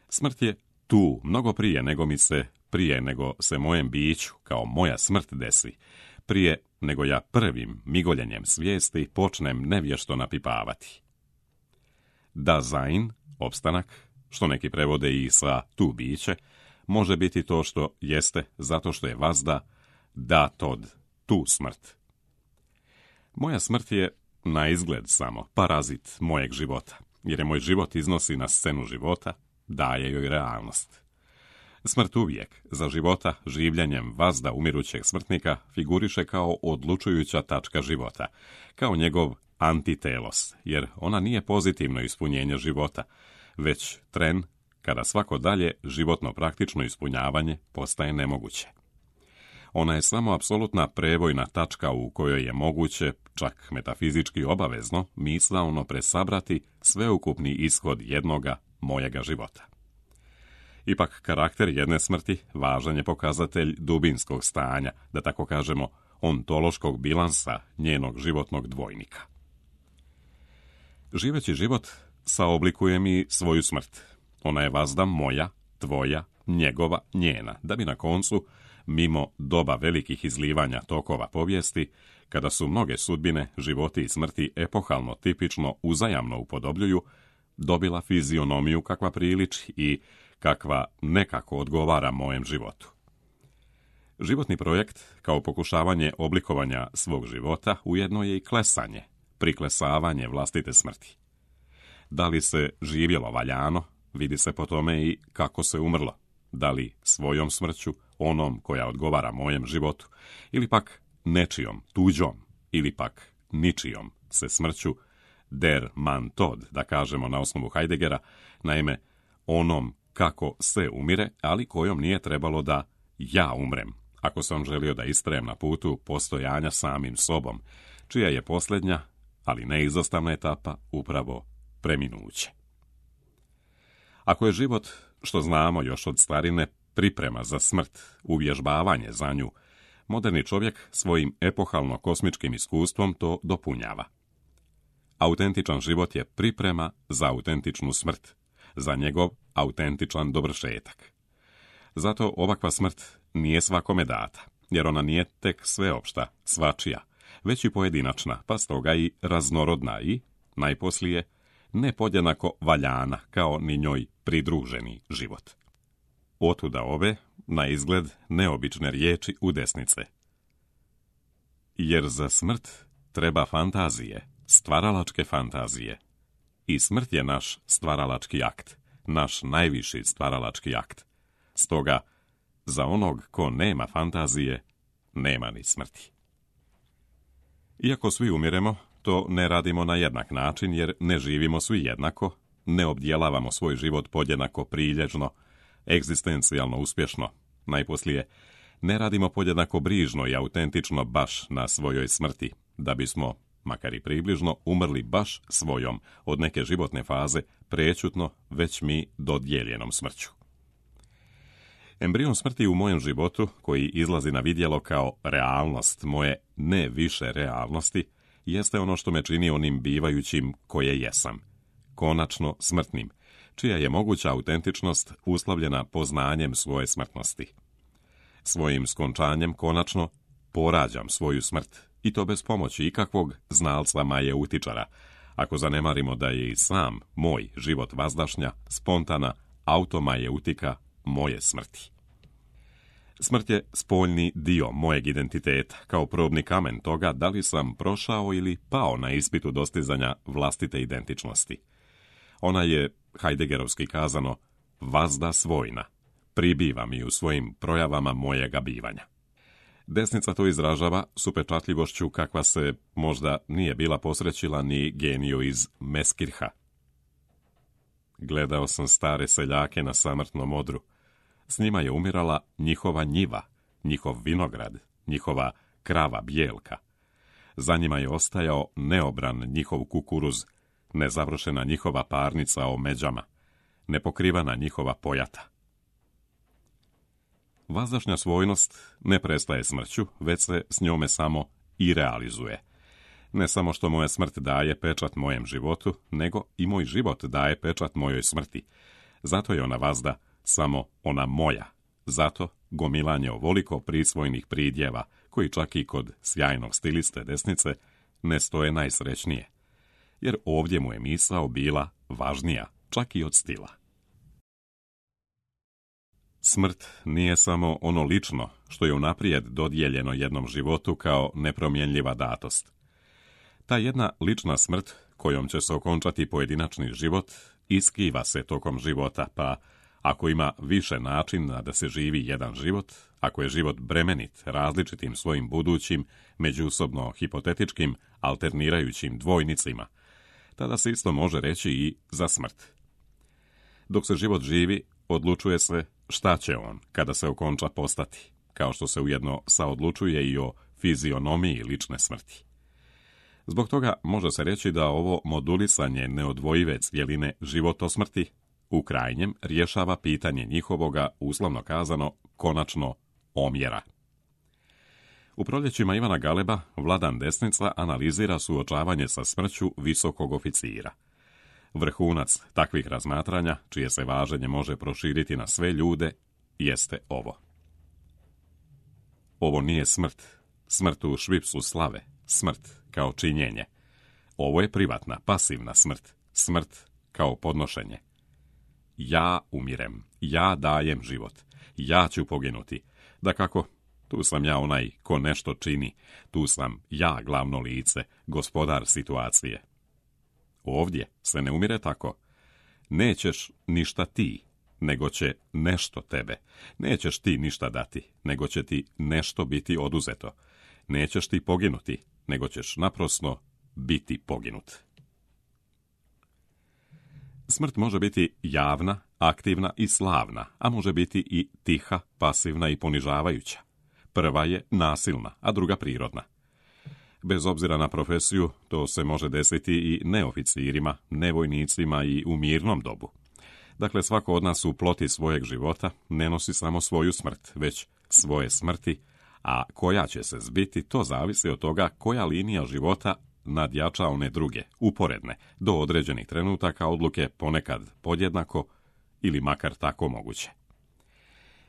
Smrt je tu mnogo prije nego se mojem biću, kao moja smrt desi, prije nego ja prvim migoljenjem svijesti počnem nevješto napipavati. Dasein, opstanak, što neki prevode i sa tu biće, može biti to što jeste zato što je vazda da tod, tu smrt. Moja smrt je na izgled samo parazit mojeg života, jer je moj život iznosi na scenu života, daje joj realnost. Smrt uvijek, za života, življenjem vazda umirućeg smrtnika, figuriše kao odlučujuća tačka života, kao njegov antitelos, jer ona nije pozitivno ispunjenje života, već tren kada svako dalje životno praktično ispunjavanje postaje nemoguće. Ona je samo apsolutna prevojna tačka u kojoj je moguće, čak metafizički obavezno, misaono presabrati sveukupni ishod jednoga mojega života. Ipak karakter jedne smrti važan je pokazatelj dubinskog stanja, da tako kažemo, ontološkog bilansa njenog životnog dvojnika. Živeći život saoblikuje mi svoju smrt. Ona je vazda moja, tvoja, njegova, njena, da bi na koncu, mimo doba velikih izlivanja tokova povijesti, kada su mnoge sudbine, životi i smrti epohalno tipično uzajamno upodobljuju, dobila fizionomiju kakva priliči i kakva nekako odgovara mojem životu. Životni projekt, kao pokušavanje oblikovanja svog života, ujedno je i klesanje, priklesavanje vlastite smrti. Da li se živjelo valjano, vidi se po tome i kako se umrlo. Da li svojom smrću, onom koja odgovara mojem životu, ili pak nečijom, tuđom, ili pak ničijom se smrću, der man tod, da kažemo na osnovu Heideggera, naime, onom kako se umire, ali kojom nije trebalo da ja umrem, ako sam želio da istrajem na putu postojanja samim sobom, čija je posljednja, ali neizostavna etapa, upravo preminuće. Ako je život, što znamo još od starine, priprema za smrt, uvježbavanje za nju, moderni čovjek svojim epohalno-kosmičkim iskustvom to dopunjava. Autentičan život je priprema za autentičnu smrt, za njegov autentičan dovršetak. Zato ovakva smrt nije svakome data, jer ona nije tek sveopšta, svačija, već i pojedinačna, pa stoga i raznorodna i, najposlije, nepodjednako valjana kao ni njoj pridruženi život. Otuda ove, na izgled, neobične riječi u desnice. Jer za smrt treba fantazije, stvaralačke fantazije. I smrt je naš stvaralački akt, naš najviši stvaralački akt. Stoga, za onog ko nema fantazije, nema ni smrti. Iako svi umiremo, to ne radimo na jednak način jer ne živimo svi jednako, ne obdjelavamo svoj život podjednako prilježno, egzistencijalno uspješno. Najposlije, ne radimo podjednako brižno i autentično baš na svojoj smrti, da bismo, makar i približno, umrli baš svojom od neke životne faze prečutno već mi dodijeljenom smrću. Embrion smrti u mojem životu, koji izlazi na vidjelo kao realnost moje ne više realnosti, jeste ono što me čini onim bivajućim koje jesam, konačno smrtnim, čija je moguća autentičnost uslovljena poznanjem svoje smrtnosti. Svojim skončanjem konačno porađam svoju smrt, i to bez pomoći ikakvog znalca majeutičara, ako zanemarimo da je i sam moj život vazdašnja, spontana, automajeutika moje smrti. Smrt je spoljni dio mojeg identiteta, kao probni kamen toga da li sam prošao ili pao na ispitu dostizanja vlastite identičnosti. Ona je, Heideggerovski kazano, vazda svojna, pribiva mi u svojim projavama mojega bivanja. Desnica to izražava s upečatljivošću kakva se možda nije bila posrećila ni geniju iz Meskirha. Gledao sam stare seljake na samrtnom odru. S njima je umirala njihova njiva, njihov vinograd, njihova krava bijelka. Za njima je ostajao neobran njihov kukuruz, nezavršena njihova parnica o međama, nepokrivana njihova pojata. Vazdašnja svojnost ne prestaje smrću, već se s njome samo i realizuje. Ne samo što moja smrt daje pečat mojem životu, nego i moj život daje pečat mojoj smrti. Zato je ona vazda samo ona moja. Zato gomilanje ovoliko prisvojnih pridjeva, koji čak i kod sjajnog stiliste desnice ne stoje najsrećnije. Jer ovdje mu je misao bila važnija, čak i od stila. Smrt nije samo ono lično što je unaprijed dodijeljeno jednom životu kao nepromjenljiva datost. Ta jedna lična smrt, kojom će se okončati pojedinačni život, iskiva se tokom života, pa ako ima više načina da se živi jedan život, ako je život bremenit različitim svojim budućim, međusobno hipotetičkim, alternirajućim dvojnicima, tada se isto može reći i za smrt. Dok se život živi, odlučuje se šta će on kada se okonča postati, kao što se ujedno saodlučuje i o fizionomiji lične smrti. Zbog toga može se reći da ovo modulisanje neodvojive cjeline životosmrti, U krajnjem rješava pitanje njihovoga, uslovno kazano, konačno omjera. U proljećima Ivana Galeba Vladan Desnica analizira suočavanje sa smrću visokog oficira. Vrhunac takvih razmatranja, čije se važenje može proširiti na sve ljude, jeste ovo. Ovo nije smrt, smrt u švipsu slave, smrt kao činjenje. Ovo je privatna, pasivna smrt, smrt kao podnošenje. Ja umirem, ja dajem život, ja ću poginuti. Dakako, tu sam ja onaj ko nešto čini, tu sam ja glavno lice, gospodar situacije. Ovdje se ne umire tako. Nećeš ništa ti, nego će nešto tebe. Nećeš ti ništa dati, nego će ti nešto biti oduzeto. Nećeš ti poginuti, nego ćeš naprosto biti poginut. Smrt može biti javna, aktivna i slavna, a može biti i tiha, pasivna i ponižavajuća. Prva je nasilna, a druga prirodna. Bez obzira na profesiju, to se može desiti i neoficirima, nevojnicima i u mirnom dobu. Dakle, svako od nas u ploti svojeg života ne nosi samo svoju smrt, već svoje smrti, a koja će se zbiti, to zavisi od toga koja linija života nadjača one druge, uporedne, do određenih trenutaka odluke ponekad podjednako ili makar tako moguće.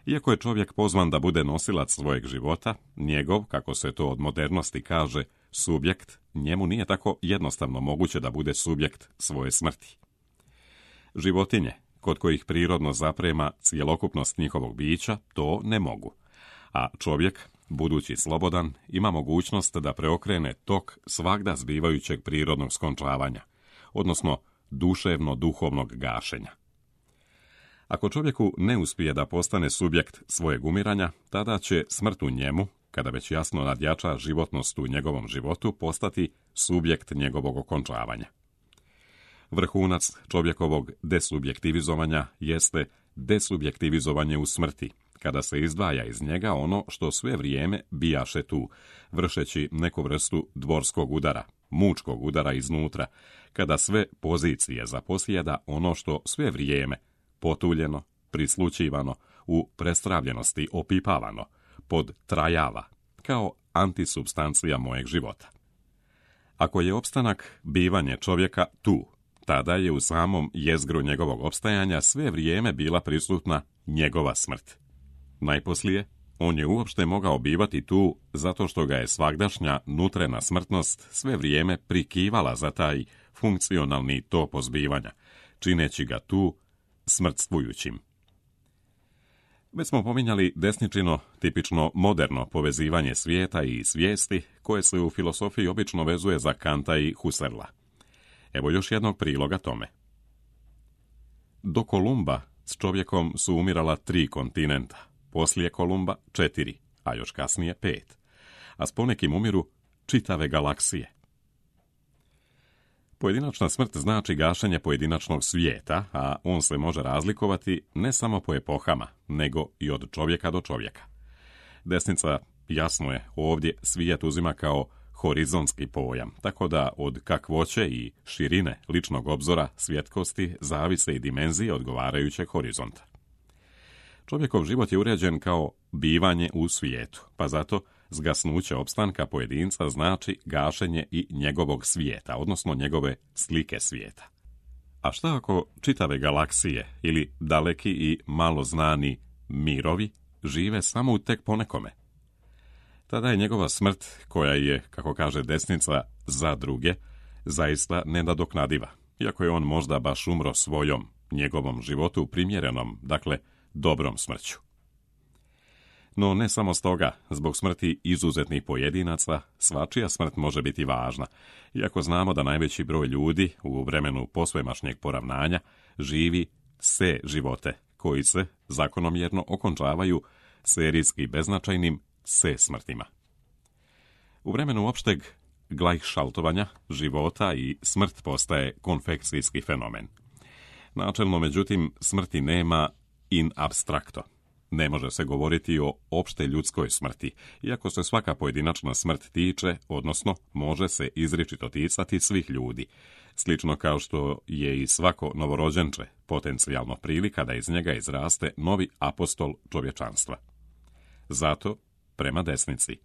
Iako je čovjek pozvan da bude nosilac svojeg života, njegov, kako se to od modernosti kaže, subjekt, njemu nije tako jednostavno moguće da bude subjekt svoje smrti. Životinje, kod kojih prirodno zaprema cjelokupnost njihovog bića, to ne mogu. A čovjek, budući slobodan, ima mogućnost da preokrene tok svagda zbivajućeg prirodnog skončavanja, odnosno duševno-duhovnog gašenja. Ako čovjeku ne uspije da postane subjekt svojeg umiranja, tada će smrt u njemu, kada već jasno nadjača životnost u njegovom životu, postati subjekt njegovog okončavanja. Vrhunac čovjekovog desubjektivizovanja jeste desubjektivizovanje u smrti, kada se izdvaja iz njega ono što sve vrijeme bijaše tu, vršeći neku vrstu dvorskog udara, mučkog udara iznutra, kada sve pozicije zaposjeda ono što sve vrijeme, potuljeno, prislućivano, u prestravljenosti opipavano, podtrajava, kao antisubstancija mojeg života. Ako je opstanak bivanje čovjeka tu, tada je u samom jezgru njegovog opstajanja sve vrijeme bila prisutna njegova smrt. Najposlije, on je uopšte mogao bivati tu zato što ga je svagdašnja nutrena smrtnost sve vrijeme prikivala za taj funkcionalni topos bivanja, čineći ga tu smrtstvujućim. Već smo pominjali desničino, tipično moderno povezivanje svijeta i svijesti, koje se u filosofiji obično vezuje za Kanta i Husserla. Evo još jednog priloga tome. Do Kolumba s čovjekom su umirala 3 kontinenta, poslije Kolumba 4, a još kasnije 5, a s ponekim umiru čitave galaksije. Pojedinačna smrt znači gašenje pojedinačnog svijeta, a on se može razlikovati ne samo po epohama, nego i od čovjeka do čovjeka. Desnica, jasno je, ovdje svijet uzima kao horizontski pojam, tako da od kakvoće i širine ličnog obzora svjetkosti zavise i dimenzije odgovarajućeg horizonta. Čovjekov život je uređen kao bivanje u svijetu, pa zato zgasnuće opstanka pojedinca znači gašenje i njegovog svijeta, odnosno njegove slike svijeta. A šta ako čitave galaksije ili daleki i malo znani mirovi žive samo u tek ponekome? Tada je njegova smrt, koja je, kako kaže desnica, za druge, zaista nenadoknadiva, iako je on možda baš umro svojom, njegovom životu primjerenom, dakle, dobrom smrću. No ne samo stoga, zbog smrti izuzetnih pojedinaca, svačija smrt može biti važna, iako znamo da najveći broj ljudi u vremenu posvemašnjeg poravnanja živi se živote, koji se zakonomjerno okončavaju serijski beznačajnim se smrtima. U vremenu opšteg glajšaltovanja života i smrt postaje konfekcijski fenomen. Načelno, međutim, smrti nema in abstracto. Ne može se govoriti o opšte ljudskoj smrti, iako se svaka pojedinačna smrt tiče, odnosno može se izričito ticati svih ljudi, slično kao što je i svako novorođenče potencijalno prilika da iz njega izraste novi apostol čovječanstva. Zato, prema desnici,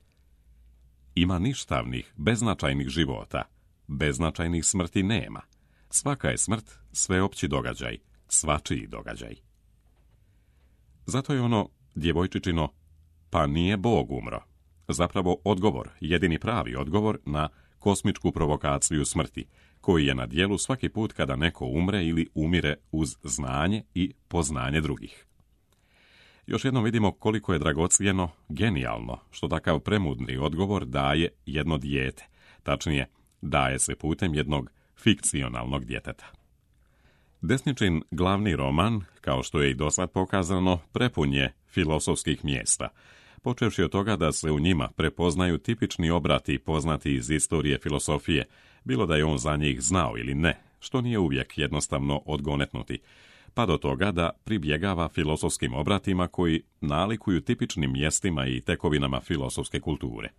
ima ništavnih, beznačajnih života, beznačajnih smrti nema. Svaka je smrt sveopći događaj, svačiji događaj. Zato je ono djevojčičino, pa nije Bog umro, zapravo odgovor, jedini pravi odgovor na kosmičku provokaciju smrti, koji je na djelu svaki put kada neko umre ili umire uz znanje i poznanje drugih. Još jednom vidimo koliko je dragocjeno, genijalno, što takav premudni odgovor daje jedno dijete, tačnije, daje se putem jednog fikcionalnog djeteta. Desničin glavni roman, kao što je i dosad pokazano, prepun je filosofskih mjesta, počevši od toga da se u njima prepoznaju tipični obrati poznati iz istorije filosofije, bilo da je on za njih znao ili ne, što nije uvijek jednostavno odgonetnuti, pa do toga da pribjegava filosofskim obratima koji nalikuju tipičnim mjestima i tekovinama filosofske kulture.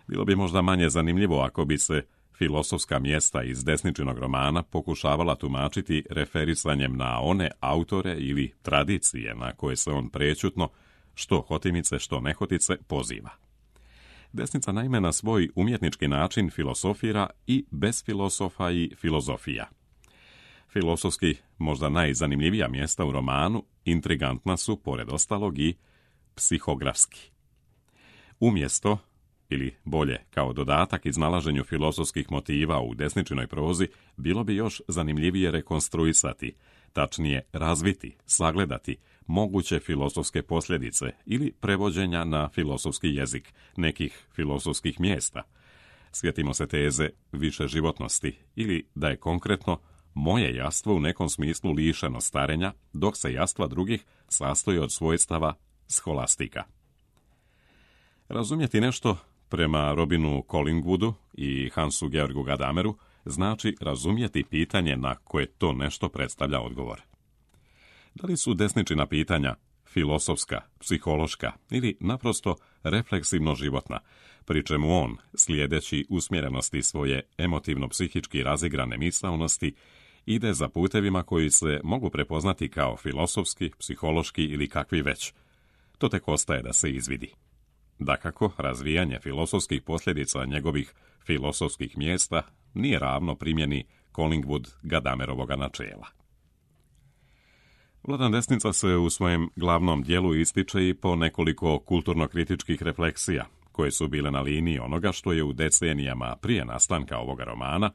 Bilo bi možda manje zanimljivo ako bi se filosofska mjesta iz desničinog romana pokušavala tumačiti referisanjem na one autore ili tradicije na koje se on prećutno, što hotimice, što nehotice, poziva. Desnica naime na svoj umjetnički način filosofira i bez filosofa i filozofija. Filosofski, možda najzanimljivija mjesta u romanu, intrigantna su, pored ostalog, i psihografski. Umjesto, ili bolje, kao dodatak iznalaženju filosofskih motiva u desničinoj prozi, bilo bi još zanimljivije rekonstruisati, tačnije razviti, sagledati moguće filosofske posljedice ili prevođenja na filosofski jezik nekih filosofskih mjesta. Sjetimo se teze više životnosti ili da je konkretno moje jastvo u nekom smislu lišeno starenja, dok se jastva drugih sastoji od svojstava scholastika. Razumjeti nešto, prema Robinu Collingwoodu i Hansu Georgu Gadameru, znači razumjeti pitanje na koje to nešto predstavlja odgovor. Da li su desničina pitanja filosofska, psihološka ili naprosto refleksivno životna, pri čemu on, slijedeći usmjerenosti svoje emotivno-psihički razigrane misaonosti, ide za putevima koji se mogu prepoznati kao filosofski, psihološki ili kakvi već. To tek ostaje da se izvidi. Dakako, razvijanje filosofskih posljedica njegovih filosofskih mjesta nije ravno primjeni Collingwood-Gadamerovoga načela. Vladan desnica se u svojem glavnom dijelu ističe i po nekoliko kulturno-kritičkih refleksija, koje su bile na liniji onoga što je u decenijama prije nastanka ovoga romana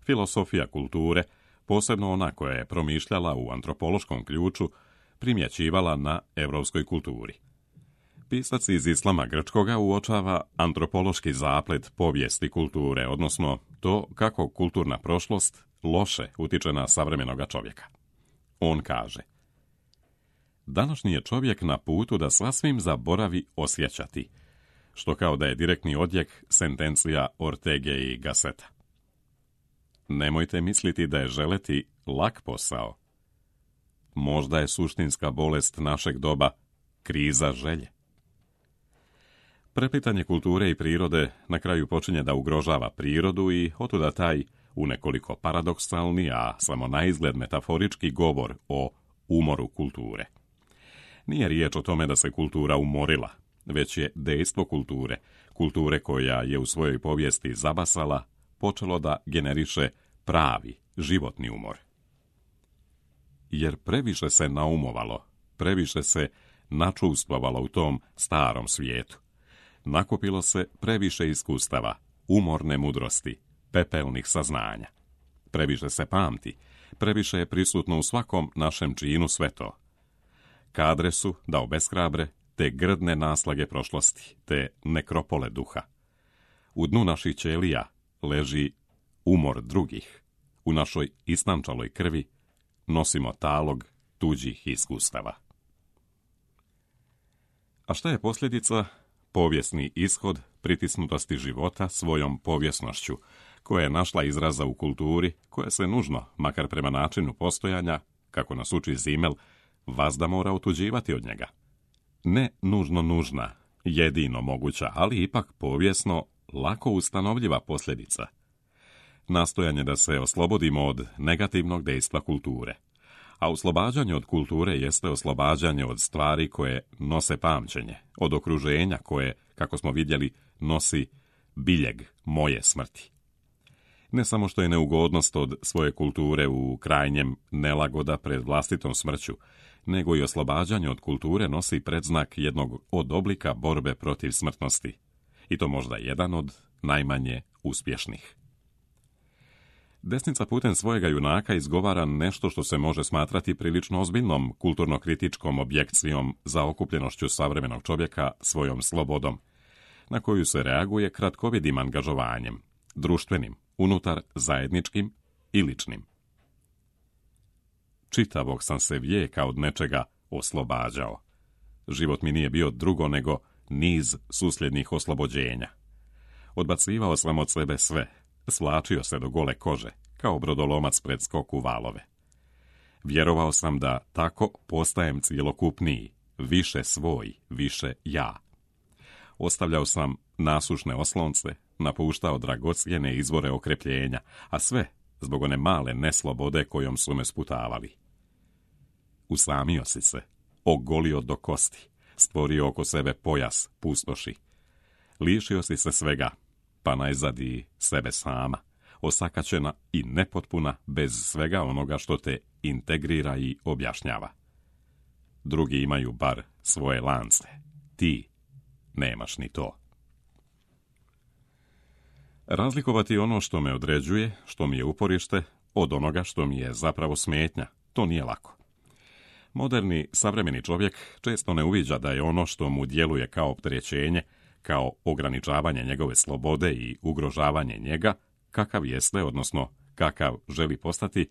filosofija kulture, posebno ona koja je promišljala u antropološkom ključu, primjećivala na europskoj kulturi. Pisac iz islama grčkoga uočava antropološki zaplet povijesti kulture, odnosno to kako kulturna prošlost loše utiče na savremenoga čovjeka. On kaže: današnji je čovjek na putu da sasvim zaboravi osjećati, što kao da je direktni odjek sentencija Ortege i Gasseta. Nemojte misliti da je želeti lak posao. Možda je suštinska bolest našeg doba kriza želje. Preplitanje kulture i prirode na kraju počinje da ugrožava prirodu i otuda taj u nekoliko paradoksalni, a samo naizgled metaforički govor o umoru kulture. Nije riječ o tome da se kultura umorila, već je dejstvo kulture koja je u svojoj povijesti zabasala, počelo da generiše pravi, životni umor. Jer previše se naumovalo, previše se načustvovalo u tom starom svijetu. Nakupilo se previše iskustava, umorne mudrosti, pepelnih saznanja. Previše se pamti, previše je prisutno u svakom našem činu sve to. Kadre su da obeshrabre te grdne naslage prošlosti, te nekropole duha. U dnu naših ćelija leži umor drugih. U našoj istančaloj krvi nosimo talog tuđih iskustava. A šta je posljedica? Povijesni ishod pritisnutosti života svojom povijesnošću, koja je našla izraza u kulturi, koja se nužno, makar prema načinu postojanja, kako nas uči Zimmel, vazda mora otuđivati od njega. Ne nužno nužna, jedino moguća, ali ipak povijesno lako ustanovljiva posljedica. Nastojanje da se oslobodimo od negativnog dejstva kulture. A oslobađanje od kulture jeste oslobađanje od stvari koje nose pamćenje, od okruženja koje, kako smo vidjeli, nosi biljeg moje smrti. Ne samo što je neugodnost od svoje kulture u krajnjem nelagoda pred vlastitom smrću, nego i oslobađanje od kulture nosi predznak jednog od oblika borbe protiv smrtnosti, i to možda jedan od najmanje uspješnih. Desnica putem svojega junaka izgovara nešto što se može smatrati prilično ozbiljnom kulturno-kritičkom objekcijom za okupljenošću savremenog čovjeka svojom slobodom, na koju se reaguje kratkovidim angažovanjem, društvenim, unutar zajedničkim i ličnim. Čitavog sam se vijeka od nečega oslobađao. Život mi nije bio drugo nego niz susljednih oslobođenja. Odbacivao sam od sebe sve, svlačio se do gole kože, kao brodolomac pred skok u valove. Vjerovao sam da tako postajem cjelokupniji, više svoj, više ja. Ostavljao sam nasušne oslonce, napuštao dragocjene izvore okrepljenja, a sve zbog one male neslobode kojom su me sputavali. Usamio si se, ogolio do kosti, stvorio oko sebe pojas pustoši. Lišio si se svega, pa najzad i sebe sama, osakaćena i nepotpuna bez svega onoga što te integrira i objašnjava. Drugi imaju bar svoje lance, ti nemaš ni to. Razlikovati ono što me određuje, što mi je uporište, od onoga što mi je zapravo smetnja, to nije lako. Moderni, savremeni čovjek često ne uviđa da je ono što mu djeluje kao opterećenje, kao ograničavanje njegove slobode i ugrožavanje njega, kakav jeste, odnosno kakav želi postati,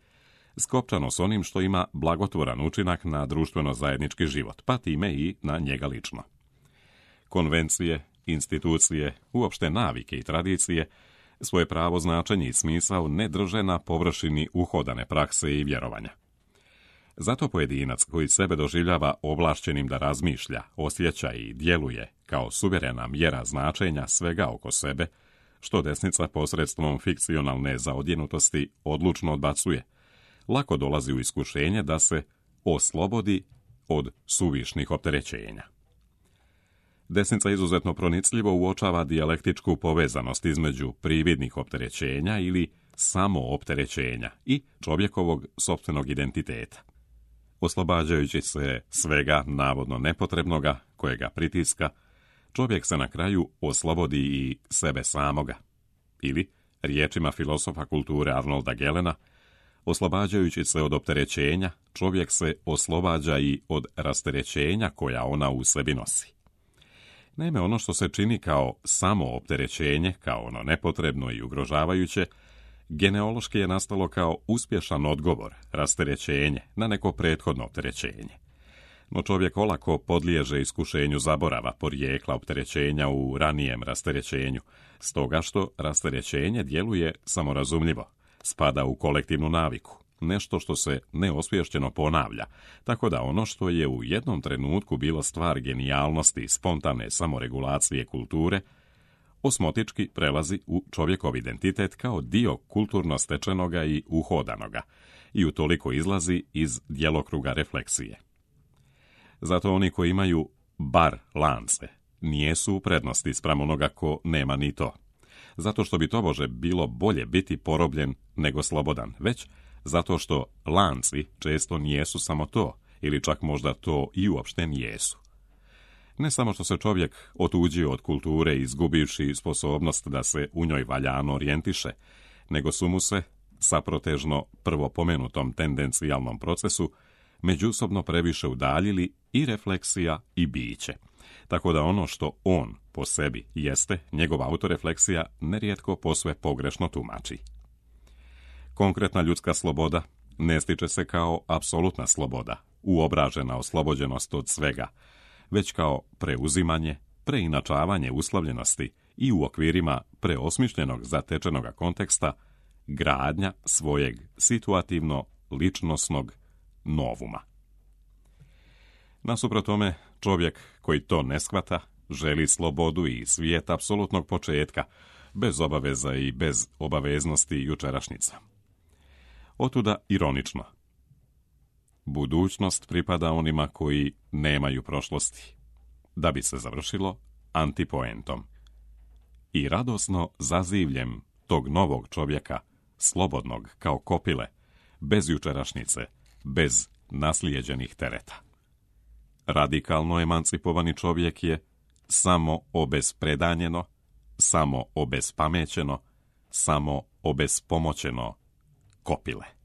skopčano s onim što ima blagotvoran učinak na društveno-zajednički život, pa time i na njega lično. Konvencije, institucije, uopšte navike i tradicije, svoje pravo značenje i smisao ne drže na površini uhodane prakse i vjerovanja. Zato pojedinac koji sebe doživljava ovlašćenim da razmišlja, osjeća i djeluje kao suverena mjera značenja svega oko sebe, što desnica posredstvom fikcionalne zaodjenutosti odlučno odbacuje, lako dolazi u iskušenje da se oslobodi od suvišnih opterećenja. Desnica izuzetno pronicljivo uočava dijalektičku povezanost između prividnih opterećenja ili samoopterećenja i čovjekovog sopstvenog identiteta. Oslobađajući se svega navodno nepotrebnoga kojega pritiska, čovjek se na kraju oslobodi i sebe samoga. Ili, riječima filosofa kulture Arnolda Gelena, oslobađajući se od opterećenja, čovjek se oslobađa i od rasterećenja koja ona u sebi nosi. Naime, ono što se čini kao samoopterećenje, kao ono nepotrebno i ugrožavajuće, genealoški je nastalo kao uspješan odgovor, rasterećenje, na neko prethodno opterećenje. No čovjek olako podliježe iskušenju zaborava porijekla opterećenja u ranijem rasterećenju, stoga što rasterećenje djeluje samorazumljivo, spada u kolektivnu naviku, nešto što se neosvješćeno ponavlja, tako da ono što je u jednom trenutku bilo stvar genijalnosti i spontane samoregulacije kulture, osmotički prelazi u čovjekov identitet kao dio kulturno stečenoga i uhodanoga i utoliko izlazi iz djelokruga refleksije. Zato oni koji imaju bar lance nijesu u prednosti spram onoga ko nema ni to, zato što bi tobože bilo bolje biti porobljen nego slobodan, već zato što lanci često nijesu samo to, ili čak možda to i uopšte nijesu. Ne samo što se čovjek otuđio od kulture izgubivši sposobnost da se u njoj valjano orijentiše, nego su mu se, saprotežno prvo pomenutom tendencijalnom procesu, međusobno previše udaljili i refleksija i biće, tako da ono što on po sebi jeste, njegova autorefleksija nerijetko posve pogrešno tumači. Konkretna ljudska sloboda ne stiče se kao apsolutna sloboda, uobražena oslobođenost od svega, već kao preuzimanje, preinačavanje uslovljenosti i u okvirima preosmišljenog zatečenoga konteksta gradnja svojeg situativno-ličnosnog novuma. Nasuprot tome, čovjek koji to ne shvata, želi slobodu i svijet apsolutnog početka, bez obaveza i bez obaveznosti jučerašnjica. Otuda ironično. budućnost pripada onima koji nemaju prošlosti, da bi se završilo antipoentom. I radosno zazivljem tog novog čovjeka, slobodnog kao kopile, bez jučerašnjice, bez naslijeđenih tereta. Radikalno emancipovani čovjek je samo obespredanjeno, samo obespamećeno, samo obespomoćeno kopile.